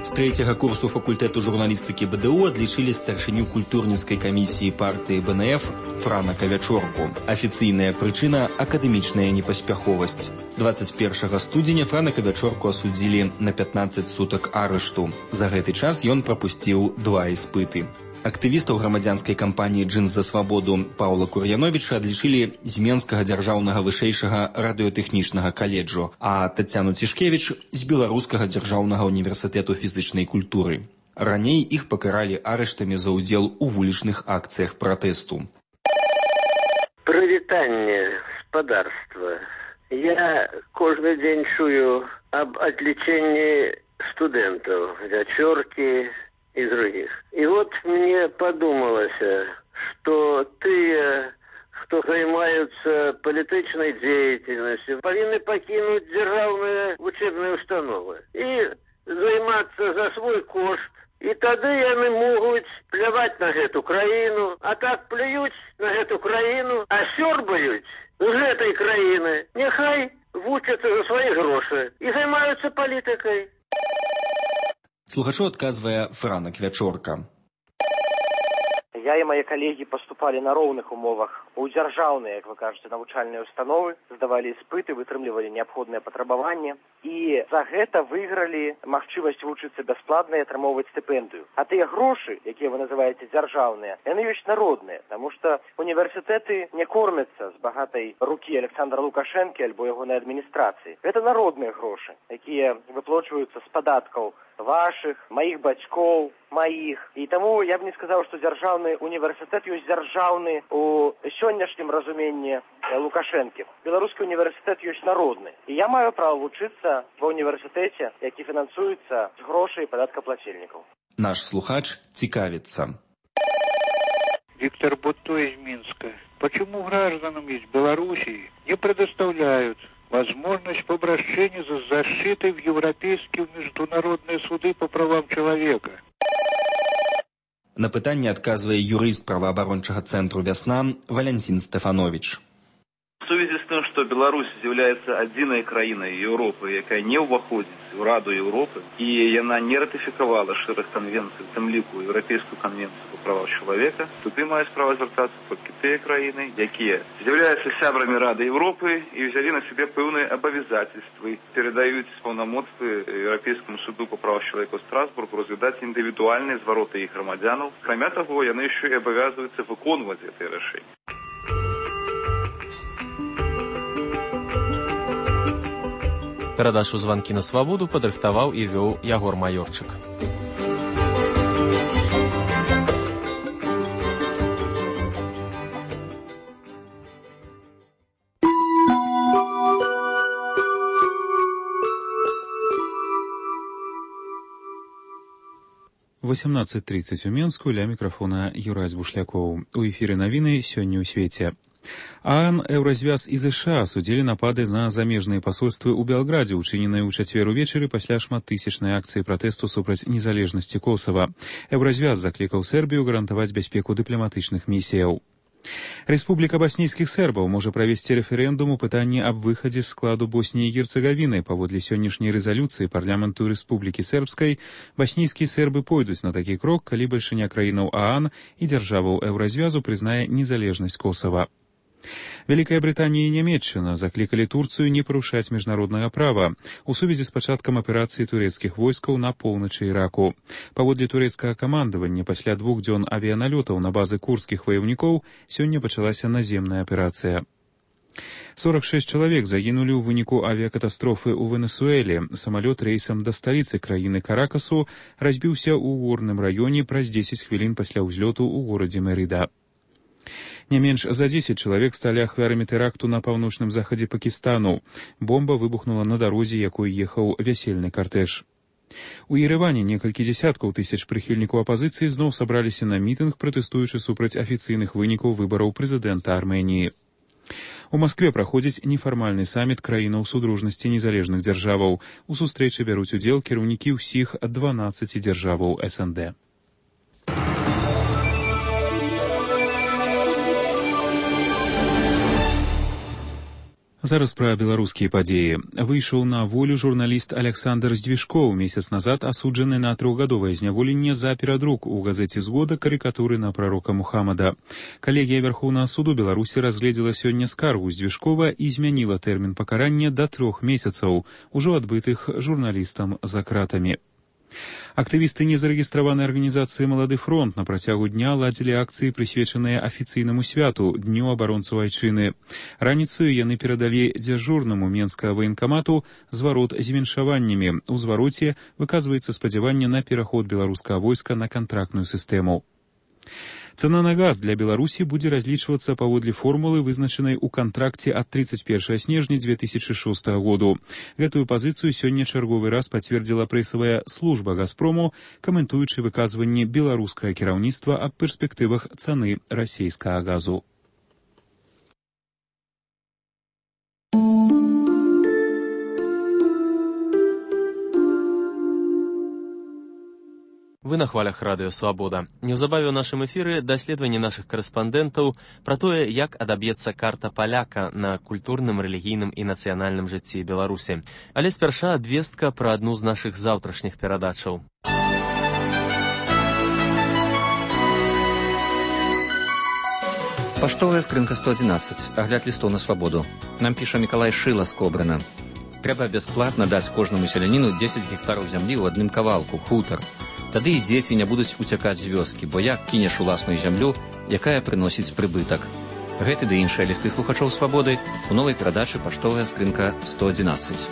З трэцяга курсу факультэту журналістыкі БДУ адлічылі старшыню культурніцкай камісіі партыі БНФ Франа Кавячорку. Афіцыйная прычына – акадэмічная непаспяховасць. дваццаць першага студзеня Франа Кавячорку асудзілі на пятнаццаць сутак арышту. За гэты час ён прапусціў два іспыты. Актывістаў грамадзянскай кампаніі «Джинс за свабоду» Паўла Кур'яновіча адлічылі з Менскага дзяржаўнага вышэйшага радыётэхнічнага каледжу, а Тацяну Цішкевіч з Беларускага дзяржаўнага універсітэту фізычнай культуры. Раней іх пакаралі арыштамі за ўдзел у вулічных акцыях пратэсту. Прывітанне, спадарства. Я кожны дзень чую аб адлічэнні студэнтаў, Вячоркі и других. И вот мне подумалось, что ты, кто занимаются политической деятельностью, повинны покинуть державные учебные установы и заниматься за свой кошт. И тогда они могут плевать на эту краину, а так плюють на эту краину, а сёрбают з этой краины. Нехай вучатся за свои гроши и занимаются политикой. Слухачу адказвае Франа Квячорка. Я и мои коллеги поступали на ровных умовах у дзяржаўныя, как вы кажете, навучальныя установы, сдавали испыты, вытрымлівали необходные потребования и за гэта выиграли магчымасць вучыцца бясплатна и атрымоўваць стипендию. А тыя грошы, якія вы называете дзяржаўныя, яны ёсць народныя, потому что университеты не кормятся с богатой руки Александра Лукашенко альбо ягонай администрации. Это народные грошы, якія выплачиваются с податков ваших, моих бацькоў, моих. И тому я бы не сказал, что дзяржаўны университет ёсць дзяржаўны у сённяшнім разуменні Лукашэнкі. Беларускі университет ёсць народны. И я маю право вучыцца ва университете, які фінансуецца з грошай падаткаплацельнікаў. Наш слухач цікавіцца. Виктор Бутто из Минска. Почему гражданам из Белоруссии не предоставляют возможность по обращению за защитой в европейские международные суды по правам человека. На пытанне адказвае юрыст праваабарончага цэнтру «Вясна» Валентин Стефанович. В связи с тем, что Беларусь является одиной краиной Европы, якая не уваходит в Раду Европы, и она не ратификовала шэраг конвенций, в тем лику Европейскую конвенцию по правам человека, туды мають право звертаться тільки ті країни, які являються сябрами Ради Європи і взяли на себе певні обов'язательства, передають повномочства Європейському суду по правам человека в Страсбургу розглядати індивідуальні звороти їх громадянів. Кроме того, вони ще й обов'язуються виконувати ці рішення. Перадачу «Званкі на свабоду» падрыхтаваў і вёў Ягор Маёрчык. восемнадцать тридцать у Менску, ля микрофона Юрась Бушлякоў. У эфире навіны сёння ў свеце. ААН, Еўразвяз і ЗША судзілі напады на замежныя пасольствы ў Белградзе, учыненыя ў чацвер увечары пасля шматтысячнай акцыі пратэсту супраць незалежнасці Косава. Еўразвяз заклікаў Сербію гарантаваць бяспеку дыпламатычных місіяў. Рэспубліка баснійскіх сербаў можа правесці рэферэндум у пытанні аб выхадзе з складу Босніі і Герцагавіны. Паводле сённяшняй рэзалюцыі парламенту Рэспублікі Сербскай, баснійскія сербы пойдуць на такі крок, калі бальшыня краінаў ААН і дзяржаваў Еўразвязу прызнае незалежнасць Косава. Вялікая Брытанія і Нямецчына заклікалі Турцыю не парушаць міжнароднага права у сувязі з пачаткам аперацыі турэцкіх войскаў на поўначы Іраку. Паводле турэцкага камандавання, пасля двух дзён авіяналётаў на базы курдскіх ваяўнікоў сёння пачалася наземная аперацыя. сорок шэсць чалавек загінулі ў выніку авіякатастрофы ў Венесуэле. Самалёт рэйсам да сталіцы краіны Каракасу разбіўся ў горным раёне праз дзесяць хвілін пасля ўзлёту ў горадзе Мерыда. Не менш за дзесяць чалавек сталі ахвярамі тэракту на паўночным захадзе Пакістану. Бомба выбухнула на дарозе, якой ехаў вясельны картэж. У Ерэване некалькі дзесяткаў тысяч прыхільнікаў апазіцыі зноў сабраліся на мітынг, пратэстуючы супраць афіцыйных вынікаў выбараў прэзідэнта Арменіі. У Маскве праходзіць нефармальны саміт краінаў судружнасці незалежных дзяржаваў. У сустрэчы бяруць удзел кіраўнікі ўсіх дванаццаці дзяржаваў эс эн дэ. Зараз пра беларускія падзеі. Выйшаў на волю журналіст Александр Здвижкоў, месяц назад асуджаны на трохгадовае зняволенне за перадрук у газеце «Згода» карыкатуры на прарока Мухаммада. Калегія Вярхоўнага суду Беларусі разгледзела сёння скаргу Здвижкова і змяніла тэрмін пакарання да трох месяцаў, ужо адбытых журналістам за кратамі. Актывісты незарэгістраванай арганізацыі «Малады фронт» на працягу дня ладзілі акцыі, прысвечаныя афіцыйнаму святу, Дню абаронцаў айчыны. Раніцаю яны перадалі дзяжурнаму менскага ваенкамату зварот з віншаваннямі. У звароце выказваецца спадзяванне на пераход беларускага войска на кантрактную сістэму. Цана на газ для Беларусі будзе разлічвацца паводле формулы, вызначанай у кантракце ад тридцать первого снежня две тысячи шестого году. Гэтую пазіцыю сёння чарговы раз пацвердзіла прэсавая служба «Газпрому», каментуючы выказванне беларускага кіраўніцтва аб перспектывах цаны расійскага газу. Вы на хвалях радыё «Свабода». Неўзабаве ў нашым эфіры даследаванне нашых карэспандэнтаў пра тое, як адаб'ецца карта паляка на культурным, рэлігійным і нацыянальным жыцці Беларусі. Але спярша абвестка пра адну з нашых заўтрашніх перадачаў. Паштовая скрынка сто адзінаццаць. Агляд лістоў на свабоду. Нам піша Мікалай Шыла з Кобрына. Трэба бясплатна даць кожнаму селяніну дзесяць гектараў зямлі ў адным кавалку, хутар. Тады і дзеці не будуць уцякаць з вёскі, бо як кінеш уласную зямлю, якая прыносіць прыбытак. Гэты ды іншыя лісты слухачоў свабоды у новай перадачы «Паштовая скрынка сто адзінаццаць».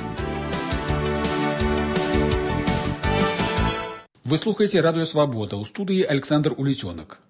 Вы слухаеце радыё «Свабода», у студыі Александр Улецёнак.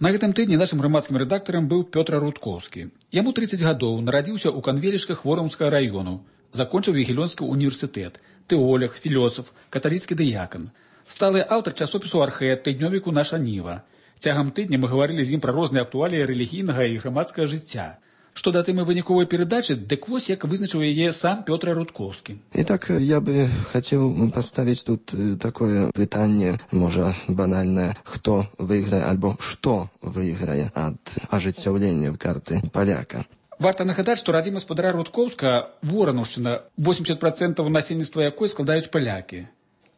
На гэтым тыдні нашым грамадскім рэдактарам быў Пётр Рудкоўскі. Яму тридцать гадоў, нарадзіўся ў Канвелічках Воромскага раёну. Закончыў Ягелёнскі універсітэт, тэолог, філосаф, каталіцкі дыякан. Сталы аўтар часопісу «Архет», тыднёвіку «Наша Ніва». Цягам тыдня мы гаварылі з ім пра розныя актуаліі рэлігійнага і грамадскага жыцця. Што да тэмы выніковай перадачы, дык вось як вызначыў яе сам Пётр Рудкоўскі. Итак, я бы хотел поставить тут такое пытание, может, банальное, кто выиграет, альбо что выиграет от ажыццяўлення карты поляка. Варта нагадаць, што радзіма спадара Рудкоўска, Воранаўшчына, восемьдесят процентов насельніцтва якой складаюць палякі.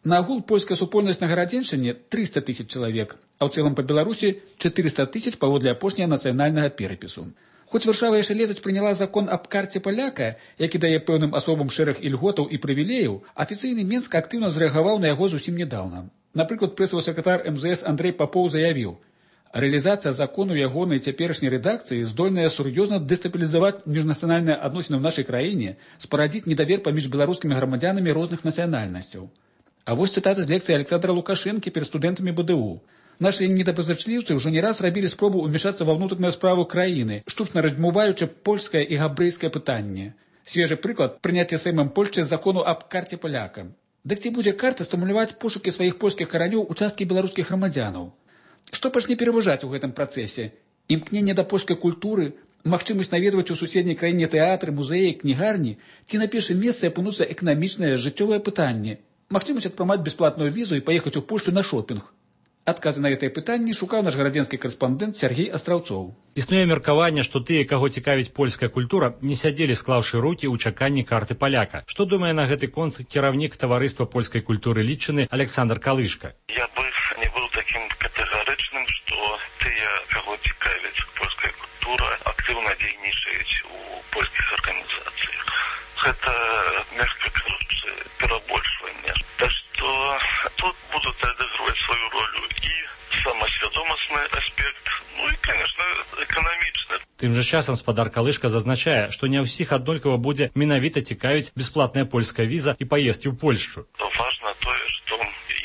На агул польская супольнасць на Гарадзеншчыне триста тысяч чалавек, а ў цэлым па Беларусі четыреста тысяч паводле апошняга нацыянальнага перапісу. Хоць Варшава яшчэ летась прыняла закон аб карце паляка, які дае пэўным асобам шэраг ільготаў і прывілеяў, афіцыйны Мінск актыўна зрэагаваў на яго зусім нядаўна. Напрыклад, прэсавы сакратар эм зэ эс Андрэй Папоў заявіў: «Рэалізацыя закону ягонай цяперашняй рэдакцыі здольная сур'ёзна дэстабілізаваць міжнацыянальныя адносіны ў нашай краіне, спарадзіць недавер паміж беларускімі грамадзянамі розных нацыянальнасцяў». А вось цытата з лекцыі Александра Лукашэнкі перад студэнтамі бэ дэ у. Наши недоброзычліўцы ўжо не раз рабілі спробу ўмешацца ва ўнутраную справу краіны, штучна раздзьмуваючы польскае і габрэйскае пытанне. Свежы прыклад прыняцця Сеймам Польшчы закону аб карце паляка. Дык ці будзе карта стымуляваць пошукі сваіх польскіх каранёў у часткі беларускіх грамадзянаў? Што пачне пераважаць у гэтым працэсе? Імкненне да польскай культуры, магчымасць наведваць у суседняй краіне тэатры, музеі, кнігарні, ці на першым месцы апынуцца эканамічнае жыццёвае пытанне, магчымасць атрымаць бясплатную візу і паехаць у Польшчу на шопінг? Адказы на гэтае пытанне шукаў наш гарадзенскі карэспандэнт Сергей Астраўцоў. Існуе меркаванне, што тыя, каго цікавіць польская культура, не сядзелі склаўшы рукі ў чаканні карты паляка. Што думае на гэты конт кіраўнік таварыства польскай культуры Літчыны Александр Калышка? Я бы не быў такім катэгарычным, што тыя, каго цікавіць польская культура, актыўна дзейнічаюць у польскіх арганізацыях. Гэта, мягка кажучы, перабольшванне. Так што тут будуць адыгрываць сваю ролю і самасвядомасны аспект, ну і, конечно, эканамічны. Тым жа часам спадар Калышка зазначае, што не ўсіх аднолькава будзе менавіта цікавіць бясплатная польская віза і паездкі ў Польшчу. Важна тое, што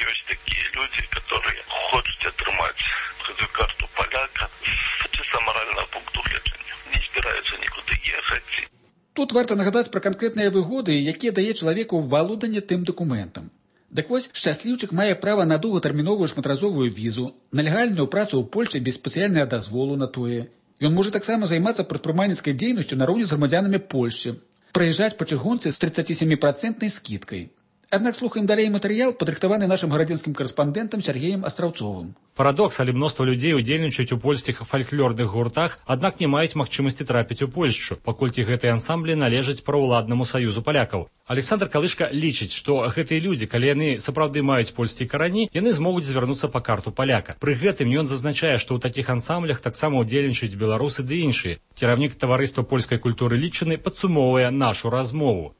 ёсць такія людзі, которые хочуць атрымаць гэту карту паляка з чыста маральнага пункту гледжання. Не збіраюцца нікуды ехаць. Тут варта нагадаць пра канкрэтныя выгоды, якія дае чалавеку валоданне тым дакументам. Дык вось, шчасліўчык мае права на доўгатэрміновую шматразовую візу, на легальную працу ў Польшчы без спецыяльнага дазволу на тое. Ён можа таксама займацца прадпрымальніцкай дзейнасцю нароўні з грамадзянамі Польшчы, праязджаць па чыгунцы з тридцатисемипрацентной скидкай. Аднак слухаем далей матэрыял, падрыхтаваны нашым гарадзенскім карэспандэнтам Сергеем Астраўцовым. Парадокс, але мноства людзей удзельнічаюць у польскіх фальклорных гуртах, аднак не маюць магчымасці трапіць у Польшчу, паколькі гэтыя ансамблі належаць праўладнаму саюзу палякаў. Александр Калышка лічыць, што гэтыя людзі, калі яны сапраўды маюць польскія карані, яны змогуць звярнуцца па карту паляка. Пры гэтым ён зазначае, што ў такіх ансамблях таксама ўдзельнічаюць беларусы ды іншыя. Кіраўнік таварыства польскай культуры Літчыны падсумоўвае нашу размову.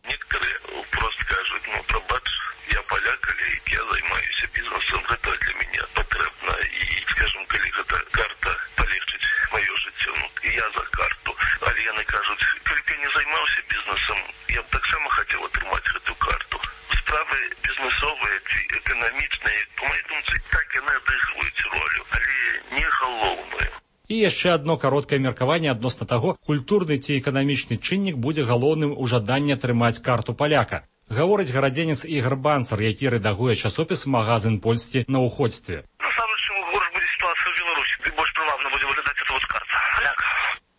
Я займаюся бізнесом, гэта для мяне патрэбна, і, скажем, калі гэта карта палегчыць маё жыццё, ну, і я за карту. Але яны кажуць, калі б я не займаўся бізнесам, я б таксама хацеў атрымаць гэту карту. Справы бізнесовыя ці эканамічныя, па маёй думцы, так яны адыгрываюць ролю, але не галоўную. І яшчэ адно кароткае меркаванне адносна таго, культурны ці эканамічны чыннік будзе галоўным у жаданні атрымаць карту паляка. Гаворыць гарадзенец Ігар Банцар, які рэдагуе часопіс «Магазин Польсці» на ўходстве. Насамрэч, чым горш будзе сітуацыя ў Беларусі, тым больш прывабна будзе выглядаць эта вот карта паляка.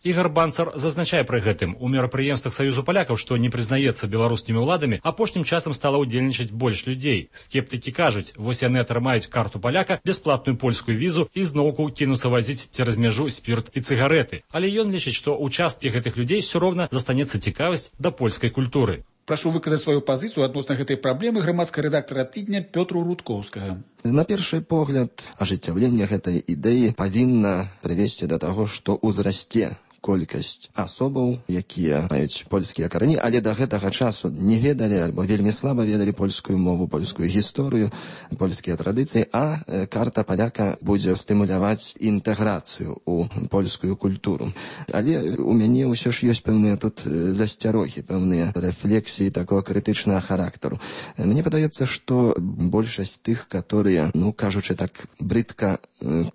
Ігар Банцар зазначае пры гэтым, у мерапрыемствах Саюзу палякаў, што не прызнаецца беларускімі ўладамі, апошнім часам стала ўдзельнічаць больш людзей. Скептыкі кажуць, вось яны атрымаюць карту паляка, бясплатную польскую візу і зноўку кінуцца вазіць цераз мяжу спірт і цыгарэты. Але ён лічыць, што ў часткі гэтых людзей ўсё роўна застанецца цікавасць да польскай культуры. Прашу выказаць сваю пазіцыю адносна гэтай праблемы грамадскага рэдактара тыдня Пётру Рудкоўскага. На першы погляд, ажыццяўленне гэтай ідэі павінна прывесці да таго, што ўзрасце колькасць асобаў, якія маюць польскія карані, але да гэтага часу не ведалі альбо вельмі слаба ведалі польскую мову, польскую гісторыю, польскія традыцыі, а карта паляка будзе стымуляваць інтэграцыю ў польскую культуру. Але у мяне ўсё ж ёсць пэўныя тут засцярогі, пэўныя рэфлексіі такого крытычнага характару. Мне падаецца, што большасць тых, которые, ну, кажучы так брыдка,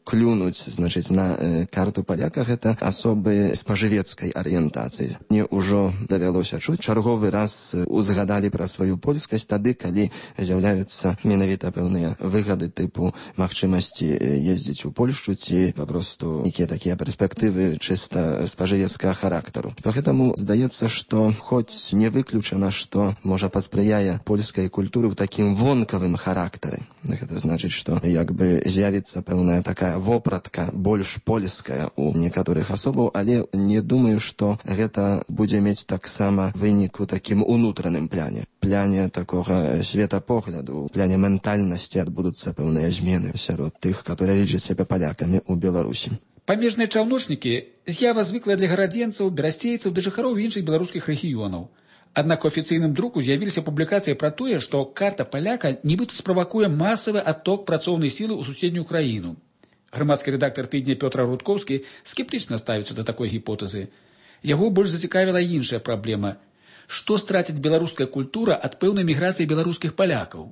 клюнуць, значыць, на карту паляка, гэта асобы спажывецкай арыентацыі. Мне ўжо давялося чуць, чарговы раз узгадалі пра сваю польскасць тады, калі з'яўляюцца менавіта пэўныя выгады тыпу магчымасці ездзіць у Польшчу ці папросту нейкія такія перспектывы чыста спажывецкага характару. Поэтому здаецца, што хоць не выключана, што можа паспрыяе польскай культуры ў такім вонкавым характары. Гэта значыць, што як бы з'явіцца пэўная такая вопратка больш польская у некаторых асобаў, але не думаю, што гэта будзе мець таксама вынік у такім унутраным пляне. Пляне такога светапогляду, пляне ментальнасці адбудуцца пэўныя змены сярод тых, которые лічаць сябе палякамі ў Беларусі. Памежныя чаўночнікі з'ява звыклая для гарадзенцаў, берасцейцаў ды жыхароў іншых беларускіх рэгіёнаў. Аднак у афіцыйным друку з'явіліся публікацыі пра тое, што карта паляка нібыта справакуе масавы адток працоўнай сілы ў суседнюю краіну. Грамадскі рэдактар тыдня Пётр Рудкоўскі скептычна ставіцца да такой гіпотэзы. Яго больш зацікавіла іншая праблема. Што страціць беларуская культура ад пэўнай міграцыі беларускіх палякаў?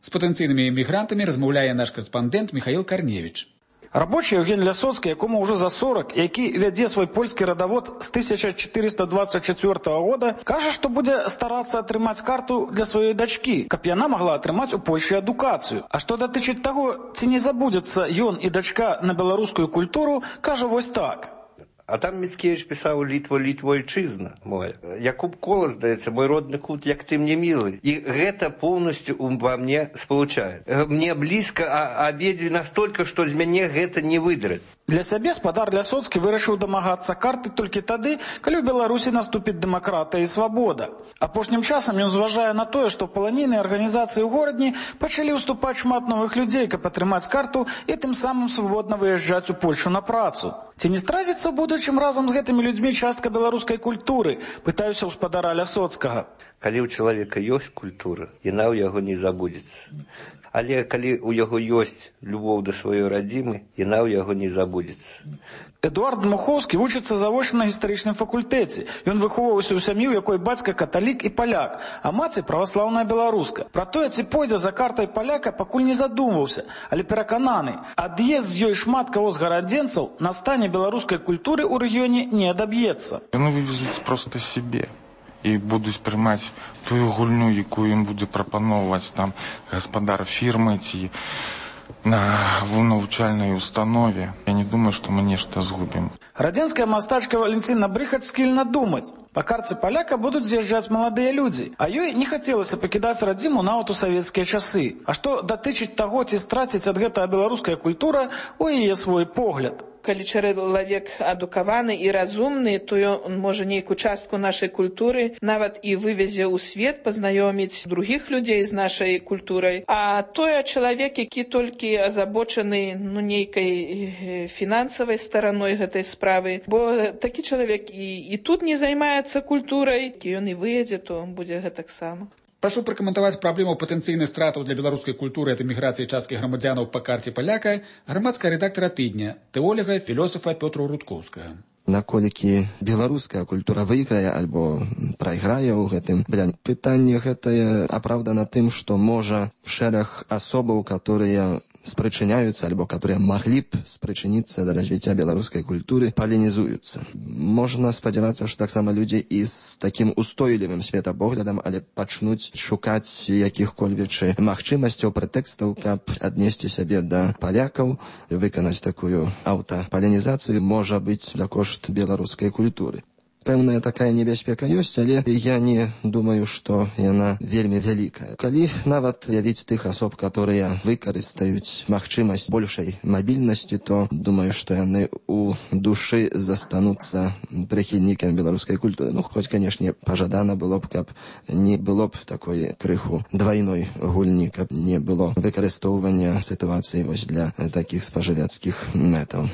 З патэнцыйнымі эмігрантамі размаўляе наш карэспандэнт Михаил Карневіч. Рабочий Евгений Лясоцкі, якому ўжо за сорок, які вядзе свой польскі радавод з тысяча чатырыста дваццаць чацвёртага года, кажа, што будзе старацца атрымаць карту для сваёй дачкі, каб яна магла атрымаць у Польшчы адукацыю. А што датычыць таго, ці не забудзецца ён і дачка на беларускую культуру, кажа вось так. Адам Міцкевич писав «Літво, Літво, Отчизна моя». Якуб Колос, здається, «Мой родный кут, як ты мне милый». И это полностью во мне сполучает. Мне близко, а обедзве настолько, что из меня это не выдрать. Для сябе спадар Лясоцкі вырашыў дамагацца карты толькі тады, калі ў Беларусі наступіць дэмакратыя і свабода. Апошнім часам ён зважае на тое, што паланійныя арганізацыі ў горадні пачалі ўступаць шмат новых людзей, каб атрымаць карту і тым самым свабодна выязджаць у Польшу на працу. Ці не стразіцца ў будучым разам з гэтымі людзьмі частка беларускай культуры? Пытаюся ў спадара Лясоцкага. Калі ў чалавека ёсць культура, яна ў яго не забудзецца. Але калі ў яго ёсць любоў да сваёй радзімы, яна ў яго не забудзецца. Эдуард Мухоўскі вучыцца завочна на гістарычным факультэце. Ён выхоўваўся ў сям'і, у якой бацька каталік і паляк, а маці праваслаўная беларуска. Пра тое, ці пойдзе за картай паляка, пакуль не задумваўся, але перакананы, ад'езд з ёй шмат каго з гарадзенцаў на стане беларускай культуры ў рэгіёне не адаб'ецца. Яны вывезуць проста сябе і будуць прымаць тую гульню, якую ім будзе прапаноўваць там гаспадар фірмы ці на навучальнай установе. Я не думаю, што мы нешта згубім. Радзенская мастачка Валентина Брыхаць скільна думаць. Па карце паляка будуць з'язджаць маладыя людзі, а ёй не хацелася пакідаць радзіму нават у савецкія часы. А што датычыць таго, ці страціць ад гэтага беларуская культура, у яе свой погляд. Калі чалавек адукаваны і разумны, то ён можа нейкую частку нашай культуры нават і вывезе ў свет, пазнаёміць другіх людзей з нашай культурай. А той чалавек, які толькі азабочаны ну, нейкай фінансавай стараной гэтай справы, бо такі чалавек і, і тут не займаецца культурай, і ён і выедзе, то будзе гэтак сама. Прашу пракаментаваць праблему патэнцыйных стратаў для беларускай культуры ад эміграцыі часткі грамадзянаў па карце паляка грамадская рэдактара тыдня, тэолага, філосафа Пётра Рудкоўскага. Наколькі беларуская культура выйграе альбо прайграе ў гэтым пляне. Пытанне гэтае апраўдана тым, што можа шэраг асобаў, которые спрычыняюцца альбо которые маглі б спрычыніцца да развіцця беларускай культуры, палінізуюцца. Можна спадзявацца, што таксама людзі і з такім устойлівым светапоглядам, але пачнуць шукаць якіх-кольвек магчымасцяў, прэтэкстаў, каб аднесці сябе да палякаў, выканаць такую аўтапалінізацыю, можа быць за кошт беларускай культуры. Пэўная такая небяспека ёсць, але я не думаю, што яна вельмі вялікая. Калі нават явіць тых асоб, которые выкарыстаюць магчымасць большай мабільнасці, то думаю, што яны у душы застануцца прыхільнікамі беларускай культуры. Ну, хоць, канешне, пажадана было б, каб не было б такой крыху двайной гульні, каб не было выкарыстоўвання сітуацыі вось для такіх спажывецкіх мэтаў.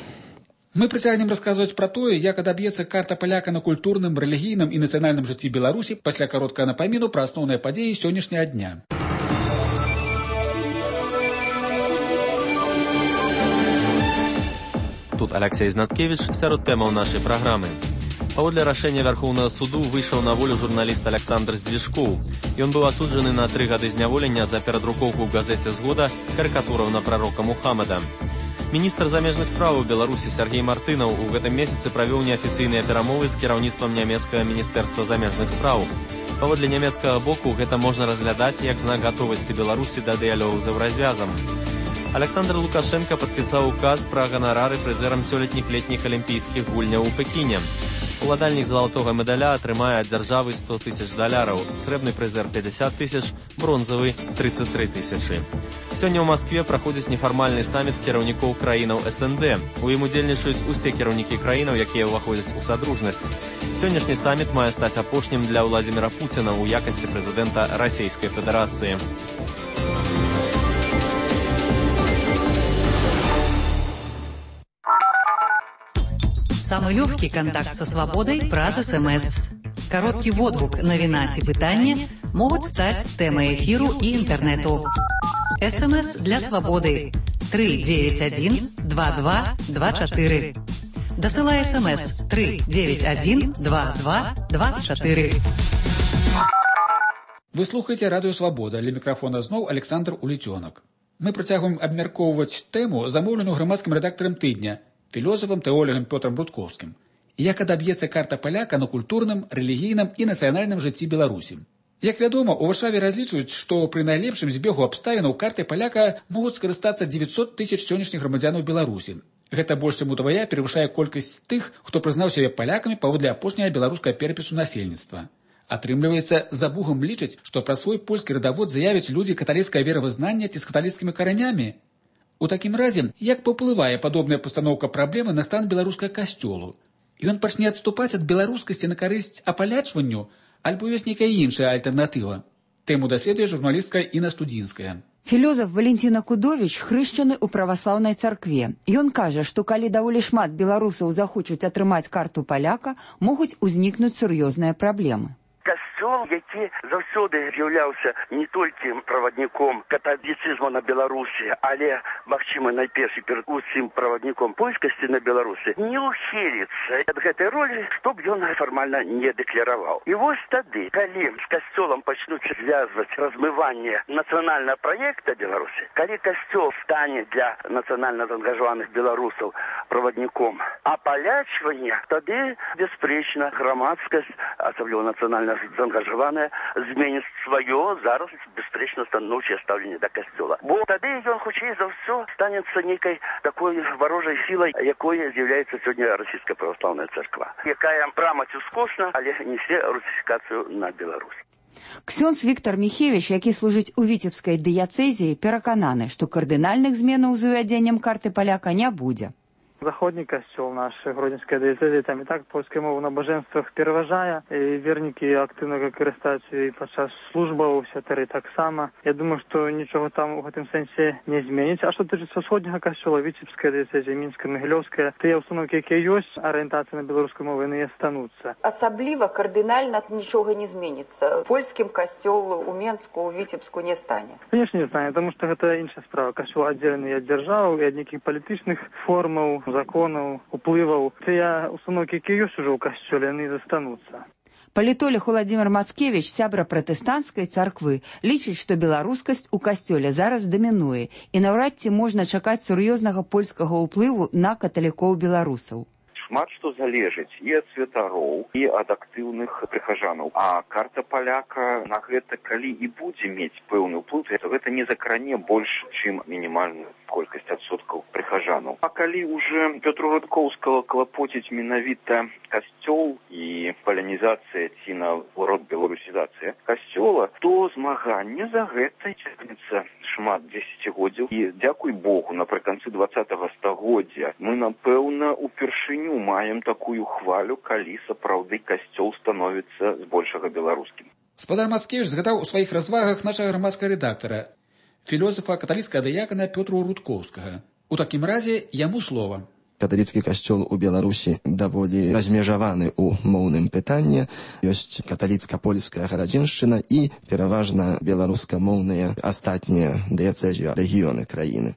Мы працягнем расказваць пра тое, як адаб'ецца карта паляка на культурным, рэлігійным і нацыянальным жыцці Беларусі пасля кароткага напаміну пра асноўныя падзеі сённяшняга дня. Тут Алексей Знаткевич сярод тэмаў нашай праграмы. Паводле рашэння Вярхоўнага суду выйшаў на волю журналіст Александр Здвижкоў. Ён быў асуджаны на тры гады зняволення за перадрукоўку ў газеце «Згода» карыкатураў на прарока Мухаммада. Міністр замежных спраў Беларусі Сергей Мартынаў у гэтым месяцы правёў неафіцыйныя перамовы з кіраўніцтвам нямецкага міністэрства замежных спраў. Паводле нямецкага боку гэта можна разглядаць як знак гатовасці Беларусі да дыялогу з еўразвязам. Александр Лукашенко падпісаў указ пра ганарары прызэрам сёлетніх летніх алімпійскіх гульняў у Пекіне. Уладальнік залатога медаля атрымае ад дзяржавы сто тысяч даляраў, срэбны прызэр пятьдесят тысяч, бронзавы тридцать три тысячы. Сёння ў Маскве праходзіць нефармальны саміт кіраўнікоў краінаў эс эн дэ. У ім удзельнічаюць усе кіраўнікі краінаў, якія ўваходзяць у садружнасць. Сённяшні саміт мае стаць апошнім для Владзіміра Пуціна ў якасці прэзідэнта Расійскай Федэрацыі. Самый легкий контакт со свободой праз СМС. Короткий водгук, навіна ці пытанне могуць стаць тэмай эфіру і інтэрнэту. СМС для свободы три девять один два два два четыре. Дасылай СМС три девять один два два два четыре. Вы слухаеце радыё Свабода, ля мікрафона зноў Александр Уліцёнак. Мы працягваем абмяркоўваць тэму, замоўленую грамадскім рэдактарам тыдня, філосафам, тэолагам Пётрам Рудкоўскім. Як адаб'ецца карта паляка на культурным, рэлігійным і нацыянальным жыцці Беларусі. Як вядома, у Варшаве разлічваюць, што пры найлепшым збегу абставінаў картай паляка могуць скарыстацца девятьсот тысяч сённяшніх грамадзянаў Беларусі. Гэта больш чым удвая перавышае колькасць тых, хто прызнаў сябе палякамі паводле апошняга беларускага перапісу насельніцтва. Атрымліваецца, за бугам лічаць, што пра свой польскі радавод заявяць людзі каталіцкае веравызнання ці з каталіцкімі каранямі. У такім разе, як паўплывае падобная пастаноўка праблемы на стан беларускага касцёлу? Ён пачне адступаць ад беларускасці на карысць апалячванню, альбо ёсць нейкая іншая альтэрнатыва? Тэму даследуе журналістка Інна Студзінская. Філёзаф Валентина Кудовіч хрышчаны ў праваслаўнай царкве. Ён кажа, што калі даволі шмат беларусаў захочуць атрымаць карту паляка, могуць узнікнуць сур'ёзныя праблемы. Касцёл, які заўсёды з'яўляўся не толькі правадніком каталіцызму на Беларусі, але, магчыма, найперш перад усім правадніком польскасці на Беларусі, не ухіліцца ад гэтай ролі, што б ён фармальна не дэклараваў. І вось тады, калі з касцёлам пачнуць звязваць размыванне нацыянальнага праекта Беларусі, калі касцёл стане для нацыянальна заангажаваных беларусаў правадніком апалячвання, тады, бясспрэчна, грамадскасць, асабліва нацыянальна заангажаваная, зменіць сваё зараз бясспрэчна станоўчае стаўленне да касцёла. Бо тады ён хутчэй за ўсё станецца нейкай такой варожай сілай, якой з'яўляецца сёння расійская праваслаўная царква, якая прама ці скосна, але несе русіфікацыю на Беларусь. Ксёндз Віктор Міхевіч, які служыць у віцебскай дыяцэзіі, перакананы, што кардынальных зменаў з увядзеннем карты паляка не будзе. Заходні касцёл наш, Гродзенская дыяцэзія, там і так польская мова на набажэнствах пераважае, і вернікі актыўна карыстаюцца і падчас службаў, святары таксама. Я думаю, што нічога там у гэтым сэнсе не зменіць. А што тычыцца ўсходняга касцёла, Віцебская дыяцэзія, Мінская, Магілёўская, тыя ўстановкі, якія ёсць, арыентацыя на беларускую мову, яны і астануцца. Асабліва кардынальна нічога не зменіцца. Польскім касцёл у Менску, у Віцебску не стане. Конечно, не стане, таму што гэта іншая справа. Касцёл аддзелены ад дзяржавы, і ад нейкіх палітычных формаў, законаў, уплываў. Тыя установкі, якія ёсць ужо ў касцёле, яны застануцца. Палітолог Владзімір Мацкевіч, сябра пратэстанцкай царквы, лічыць, што беларускасць у касцёле зараз дамінуе і наўрад ці можна чакаць сур'ёзнага польскага ўплыву на каталікоў-беларусаў. Шмат што залежыць і ад святароў, і ад актыўных прыхажанаў. А карта паляка на гэта, калі і будзе мець пэўны ўплыў, то гэта не закране больш, чым мінімальную колькасць адсоткаў прыхажанаў. А калі уже Пётру Рудкоўскага клапоціць менавіта касцёл і палянізацыя ці наоборот беларусізацыя касцёла, то змаганне за гэта цягнецца шмат дзесяцігоддзяў. І дзякуй Богу, напрыканцы двадцатага стагоддзя мы, напэўна, упершыню маем такую хвалю, калі сапраўды касцёл становіцца збольшага беларускім. Спадар Мацкевіч згадаў у сваіх развагах нашага грамадскага рэдактара, філосафа каталіцкага дыякана Пётру Рудкоўскага. У такім разе яму слова. Каталіцкі касцёл у Беларусі даволі размежаваны ў моўным пытанні. Ёсць каталіцка-польская гарадзіншчына і пераважна беларускамоўныя астатнія дыяцэзіі рэгіёны краіны.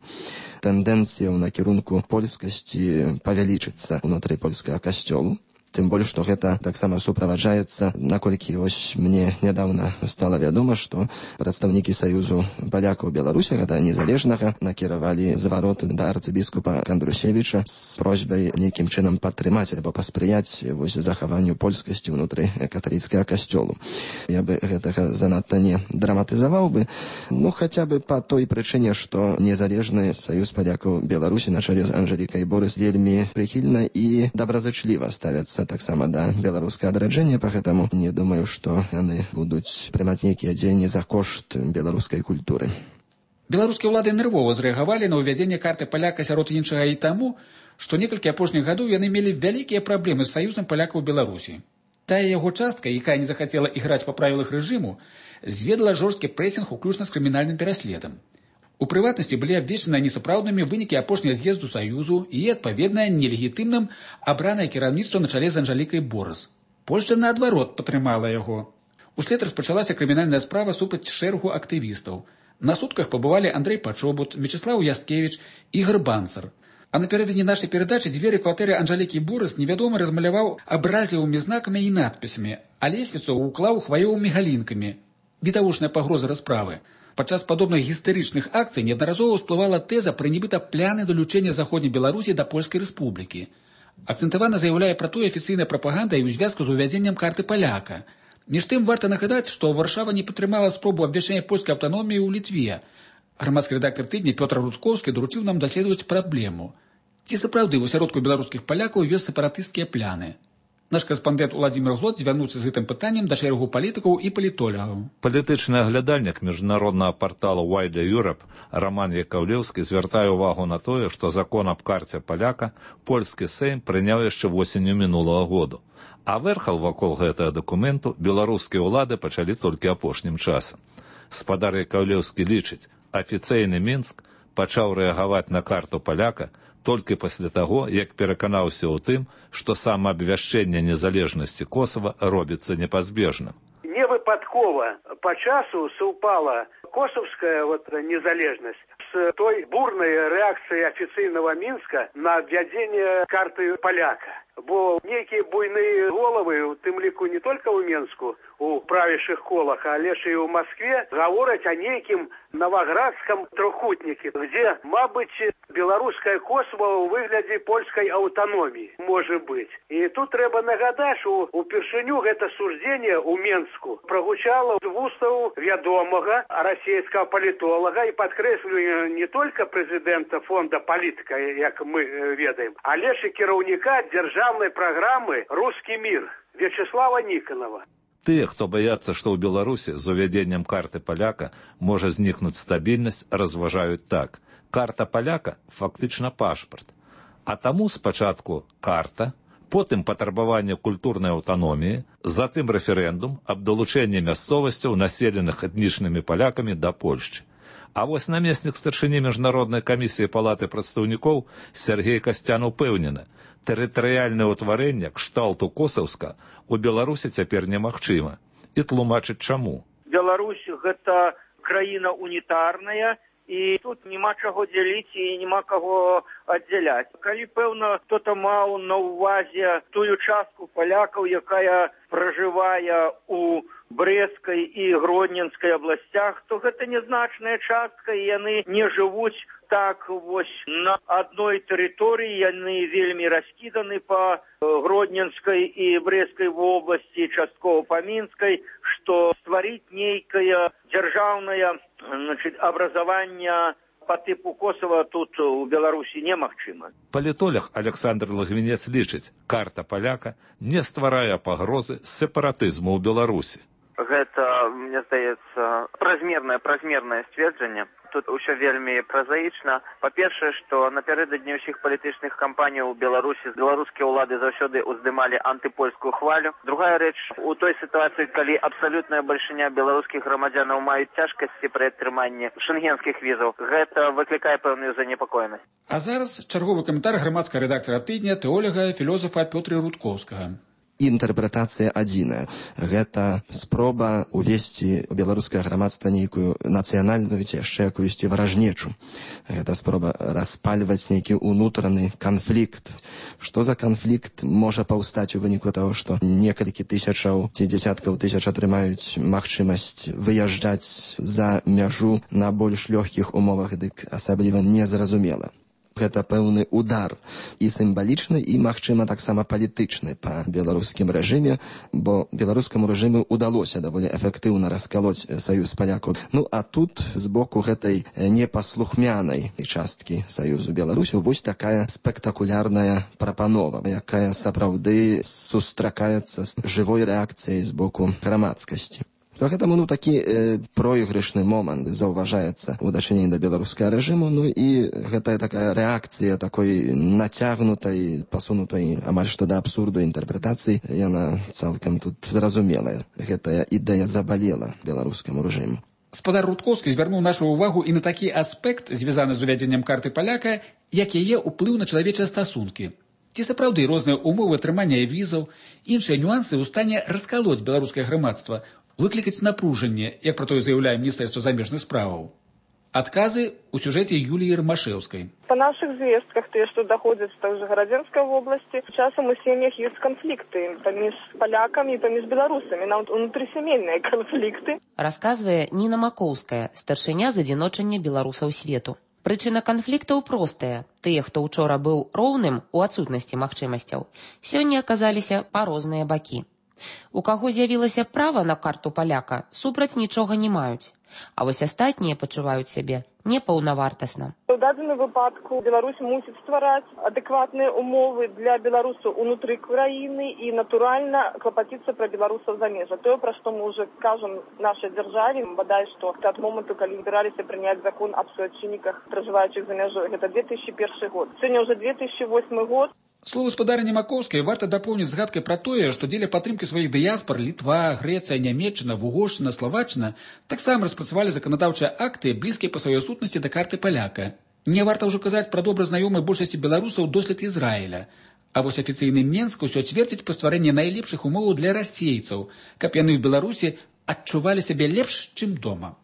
Тэндэнцыя ў накірунку польскасці павялічыцца ўнутры польскага касцёлу. Тым больш, што гэта таксама суправаджаецца, наколькі вось мне нядаўна стала вядома, што прадстаўнікі Саюзу палякаў Беларусі, гэта незалежнага, накіравалі зварот да арцыбіскупа Кандрусевіча з просьбай нейкім чынам падтрымаць альбо паспрыяць вось захаванню польскасці ўнутры каталіцкага касцёлу. Я бы гэтага занадта не драматызаваў бы, ну хаця бы па той прычыне, што незалежны Саюз палякаў Беларусі на чале з Анжэлікай Борыс вельмі прыхільна і добразычліва ставяцца таксама да беларускага адраджэння, пагэтаму не думаю, што яны будуць прымаць нейкія дзеянні за кошт беларускай культуры. Беларускія ўлады нервова зрэагавалі на ўвядзенне карты паляка сярод іншага і таму, што некалькі апошніх гадоў яны мелі вялікія праблемы з Саюзам палякаў Беларусі. Тая яго частка, якая не захацела іграць па правілах рэжыму, зведала жорсткі прэсінг уключна з крымінальным пераследам. У прыватнасці былі абвешчаныя несапраўднымі вынікі апошняга з'езду Саюзу і, адпаведна, нелегітымным абранае кіраўніцтва на чале з Анжэлікай Борыс. Польшча, наадварот, падтрымала яго. Услед распачалася крымінальная справа супраць шэрагу актывістаў. На сутках пабывалі Андрэй Пачобут, Мечыслаў Яскевіч, Ігар Банцар. А напярэдадні нашай перадачы дзверы кватэры Анжэлікі Борыс невядомы размаляваў абразлівымі знакамі і надпісамі, а лесвіцу ўклаў хваёвымі галінкамі. Відавочная пагроза расправы. Падчас падобных гістарычных акцый неаднаразова ўсплывала тэза пра нібыта пляны далучэння заходняй Беларусі да Польскай рэспублікі. Акцэнтавана заяўляе пра тое афіцыйная прапаганда і ў звязку з увядзеннем карты паляка. Між тым варта нагадаць, што Варшава не падтрымала спробу абвяшчэння польскай аўтаноміі ў Літве. Грамадскі рэдактар тыдня Пётр Рудкоўскі даручыў нам даследаваць праблему. Ці сапраўды ў асяродку беларускіх палякаў ёсць сепаратысцкія пляны? Наш карэспандэнт Уладзімір Глот звярнуўся з гэтым пытаннем да шэрагу палітыкаў і палітолагаў. Палітычны аглядальнік міжнароднага партала Wider Europe Роман Якаўлеўскі звяртае ўвагу на тое, што закон аб карце паляка польскі Сейм прыняў яшчэ восенню мінулага году. А вэрхал вакол гэтага дакументу беларускія ўлады пачалі толькі апошнім часам. Спадар Якаўлеўскі лічыць, афіцыйны Мінск пачаў рэагаваць на карту паляка толькі пасля таго, як пераканаўся ў тым, што самаабвяшчэнне незалежнасці Косава робіцца непазбежным. Не выпадкова па часу супала косовская вот незалежнасць з той бурнай рэакцыяй афіцыйнага Мінска на абвядзенне карты паляка. Бо нейкія буйныя головы, у тым ліку не толькі ў Мінску, у правішых колах, але ж і ў Маскве, гавораць о нейкім новоградском трохутніке, где, мабыць, беларускае Косово ў выглядзе польскай аўтаноміі, можа быць. І тут трэба нагадаць, што упершыню гэта сужденне ў Мінску прагучала з вустаў вядомага расійскага палітолага і падкрэслюе не толькі прэзідэнта фонда палітыка, як мы ведаем, але ж і кіраўніка дзяржаўнай праграмы «Русский мир» Вячеслава Никонова. Тыя, хто баяцца, што ў Беларусі з увядзеннем карты паляка можа знікнуць стабільнасць, разважаюць так. Карта паляка фактычна пашпарт. А таму спачатку карта, потым патрабаванне культурнай аўтаноміі, затым рэферэндум аб далучэнні мясцовасцяў, населеных этнічнымі палякамі да Польшчы. А вось намеснік старшыні міжнароднай камісіі палаты прадстаўнікоў Сергей Касцян упэўнены, тэрытарыяльнае ўтварэнне кшталту Косаўска у Беларусі цяпер немагчыма. І тлумачыць чаму. Беларусь гэта краіна унітарная, і тут няма чаго дзяліць і няма каго аддзяляць. Калі, пэўна, хто-то маў на ўвазе тую частку палякаў, якая пражывае у Брэскай і Гродненскай абласцях, то гэта нязначная частка, і яны не жывуць так вось на адной тэрыторыі, яны вельмі раскіданы па Гродненскай і Брэскай вобласці, часткова па Мінскай, што стварыць нейкае дзяржаўнае, значит, абразаванне по типу Косова тут у Беларусі немагчыма. Палітолог Александр Лагвінец лічыць, карта паляка не стварае пагрозы сепаратызму ў Беларусі. Гэта, мне здаецца, празмернае празмернае сцверджанне. Тут ўсё вельмі празаічна. Па-першае, што напярэдадні ўсіх палітычных кампаніяў у Беларусі беларускія ўлады заўсёды ўздымалі антыпольскую хвалю. Другая рэч, у той сітуацыі, калі абсалютная бальшыня беларускіх грамадзянаў маюць цяжкасці пры атрыманні шэнгенскіх візаў, гэта выклікае пэўную занепакоенасць. А зараз чарговы каментар грамадскага рэдактара тыдня, тэолага, філосафа Пётра Рудкоўскага. інтэрпрэтацыя адзіная. Гэта спроба увесці ў беларускае грамадства нейкую нацыянальную ці яшчэ якуюсьці варажнечу. Гэта спроба распальваць нейкі ўнутраны канфлікт. Што за канфлікт можа паўстаць у выніку таго, што некалькі тысячаў ці дзесяткаў тысяч атрымаюць магчымасць выязджаць за мяжу на больш лёгкіх умовах, дык асабліва незразумела. Гэта пэўны удар і сімвалічны, і, магчыма, таксама палітычны па беларускім рэжыме, бо беларускаму рэжыму ўдалося даволі эфектыўна раскалоць саюз палякаў. Ну, а тут, з боку гэтай непаслухмянай часткі саюзу беларусаў, вось такая спектакулярная прапанова, якая сапраўды сустракаецца з жывой рэакцыяй з боку грамадскасці. Поэтому, ну, такі э, проігрышны момант заўважаецца ў дачыненні да беларускага рэжыму, ну і гэта такая рэакцыя такой нацягнутай, пасунутай амаль што да абсурду інтэрпрэтацыі, яна цалкам тут зразумелая. Гэтая ідэя забалела беларускаму рэжыму. Спадар Рудкоўскі звярнуў нашу ўвагу і на такі аспект, звязаны з увядзеннем карты паляка, як яе ўплыў на чалавечыя стасункі. Ці сапраўды розныя умовы атрымання візаў, іншыя нюансы ў стане раскалоць беларускае грамадства, выклікаць напружанне, як пра тое заяўляе Міністэрства замежных справаў. Адказы ў сюжэце Юліі Ромашэўскай. По наших звестках, те, что доходят в Городенской области, часом у семьях есть конфликты поміж поляками и поміж белорусами, на внутрисемейные конфликты. Рассказывая Ніна Макоўская, старшыня з адзіночання беларусаў свету. Прычына канфліктаў простая. Тыя, хто учора быў роўным у адсутнасці магчымасцяў, сёння аказаліся па розныя бакі. У каго з'явілася права на карту паляка, супраць нічога не маюць. А вось астатнія пачуваюць сябе непаўнавартасна. У дадзеным выпадку Беларусь мусіць ствараць адэкватныя умовы для беларусаў унутры краіны і, натуральна, клапаціцца пра беларусаў за межа. Тое, пра што мы ўжо кажам нашай дзяржаве, бадай што ад моманту, калі збіраліся прыняць закон аб суайчынніках, пражываючых за мяжой, гэта две тысячи першы год. Сёння ўжо две тысячи восьмы год. Слово спадарні Макоўскай варта дапоўніць згадкай пра тое, што дзеля падтрымкі сваіх дыяспор Літва, Грэцыя, Нямецчына, Вугоршчына, Славаччына таксама распрацавалі заканадаўчыя акты, блізкія па сваёй сутнасці да карты паляка. Не варта ўжо казаць пра добра знаёмы большасці беларусаў дослед Ізраіля. А вось афіцыйны Менск усё цвердзіць па стварэнні найлепшых умоваў для расейцаў, каб яны ў Беларусі адчувалі сябе лепш, чым дома.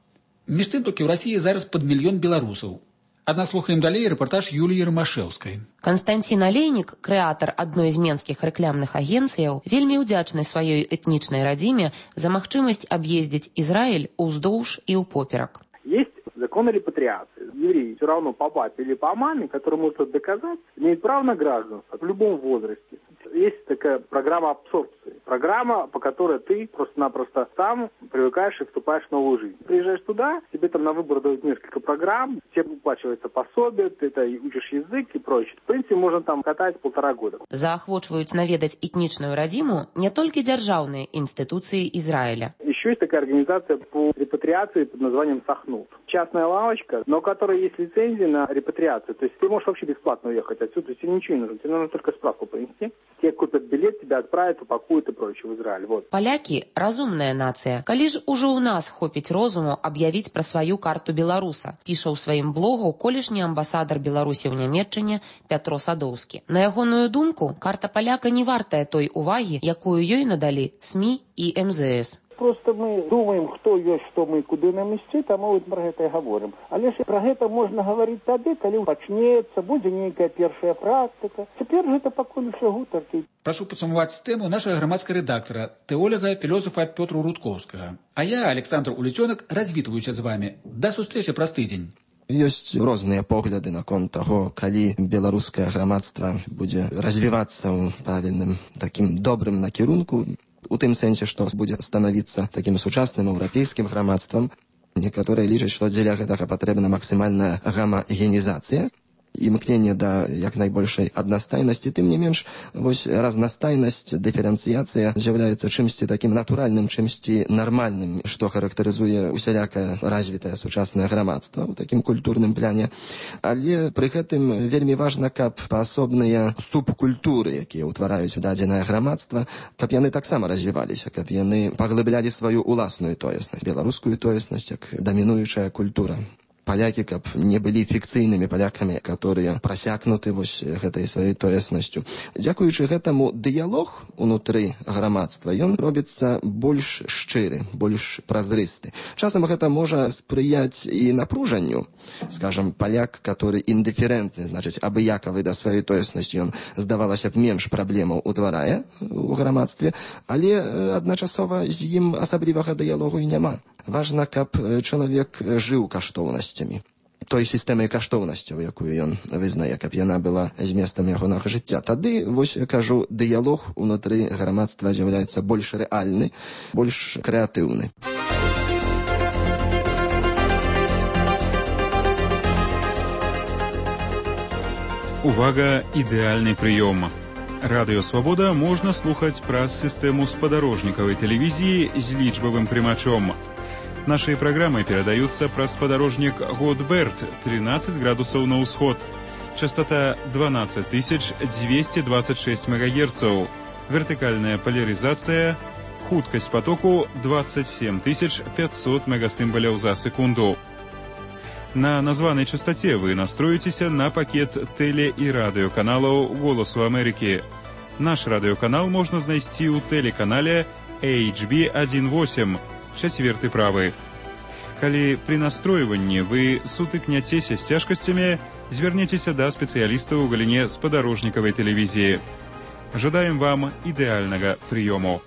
Між тым, толькі ў Расіі зараз пад мільён беларусаў. Аднак слухаем далей рэпартаж Юліі Ромашэўскай. Канстанцін Алейнік, крэатар адной з менскіх рэкламных агенцыяў, вельмі ўдзячны сваёй этнічнай радзіме за магчымасць аб'ездзіць Ізраіль уздоўж і ўпоперак. Есть закон о репатриации. Евреи все равно по папе или по маме, которые могут доказать, имеют право на гражданство в любом возрасте. Есть такая программа абсорбции. Программа, по которой ты просто-напросто там привыкаешь и вступаешь в новую жизнь. Приезжаешь туда, тебе там на выбор дают несколько программ, тебе выплачивается пособие, ты это учишь язык и прочее. В принципе, можно там катать полтора года. Заахвочваюць наведаць этнічную радзіму не толькі дзяржаўныя інстытуцыі Израиля. Еще есть такая организация по репатриации под названием Сахнут. Частная лавочка, но у которой есть лицензия на репатриацию. То есть ты можешь вообще бесплатно уехать отсюда, то есть тебе ничего не нужно, тебе нужно только справку принести. Тебе купят билет, тебя отправят, упакуют и прочее в Израиль. Вот. Палякі – разумная нацыя. Калі ж ужо ў нас хопіць розуму аб'явіць пра сваю карту беларуса, піша ў сваім блогу колішні амбасадар Беларусі ў Нямецчыне Пятро Садоўскі. На ягоную думку, карта паляка не вартая той увагі, якую ёй надалі СМІ і эм зэ эс. Просто мы думаем, хто ёсць, што мы, куды нам ісці, таму пра гэта і гаворым. Але ж пра гэта можна гаварыць тады, калі пачнецца, будзе нейкая першая практыка. Цяпер гэта пакуль усё гутаркі. Прашу падсумаваць тэму нашага грамадскага рэдактара, тэолага, філосафа Пётру Рудкоўскага. А я, Александр Уліцёнак, развітваюся з вами. Да сустрэчы праз тыдзень. Ёсць розныя погляды наконт таго, калі беларускае грамадства будзе развівацца ў правільным такім добрым накірунку, у тым сэнсе, што будзе станавіцца такім сучасным еўрапейскім грамадствам. Некаторыя лічаць, што дзеля гэтага патрэбна максімальная гамагенізацыя і імкненне да як найбольшай аднастайнасці. Тым не менш, вось разнастайнасць, дыферэнцыяцыя з'яўляецца чымсьці такім натуральным, чымсьці нармальным, што характарызуе усялякае развітае сучаснае грамадства ў такім культурным пляне. Але пры гэтым вельмі важна, каб паасобныя субкультуры, якія ўтвараюць дадзенае грамадства, каб яны таксама развіваліся, каб яны паглыблялі сваю уласную тоеснасць, беларускую тоеснасць як дамінуючая культура. палякі, каб не былі фікцыйнымі палякамі, которые прасякнуты вось гэтай сваёй тоеснасцю. Дзякуючы гэтаму дыялог унутры грамадства, ён робіцца больш шчыры, больш празрысты. Часам гэта можа спрыяць і напружанню. Скажам, паляк, который індыферэнтны, значыць, абыякавы да сваёй тоеснасці, ён, здавалася б, менш праблемаў утварае у грамадстве, але адначасова з ім асаблівага дыялогу і няма. Важна, каб чалавек жыў каштоўнасцямі. Той сістэмай каштоўнасцяў, якую ён вызнае, каб яна была зместам ягонага жыцця. Тады, вось кажу, дыялог унутры грамадства з'яўляецца больш рэальны, больш крэатыўны. Увага, ідэальны прыём. Радыё Свабода можна слухаць праз сістэму спадарожнікавай тэлевізіі з лічбавым прымачом. Наши программы передаются праз спадарожнік Годберт, тринадцать градусов на ўсход. Частота двенадцать тысяч двести двадцать шесть мегагерцаў. Вертикальная поляризация. Хуткость потоку двадцать семь тысяч пятьсот мегасимволяў за секунду. На названной частоте вы настроитесь на пакет теле- и радиоканалаў «Голосу Америки». Наш радиоканал можно знайсці ў телеканале эйч би восемь, чацверты правы. Калі при настройванні вы сутыкняцеся з цяжкасцямі, звярніцеся да спецыялістаў у галіне спадарожнікавай тэлевізіі. Жадаем вам ідэальнага прыёму.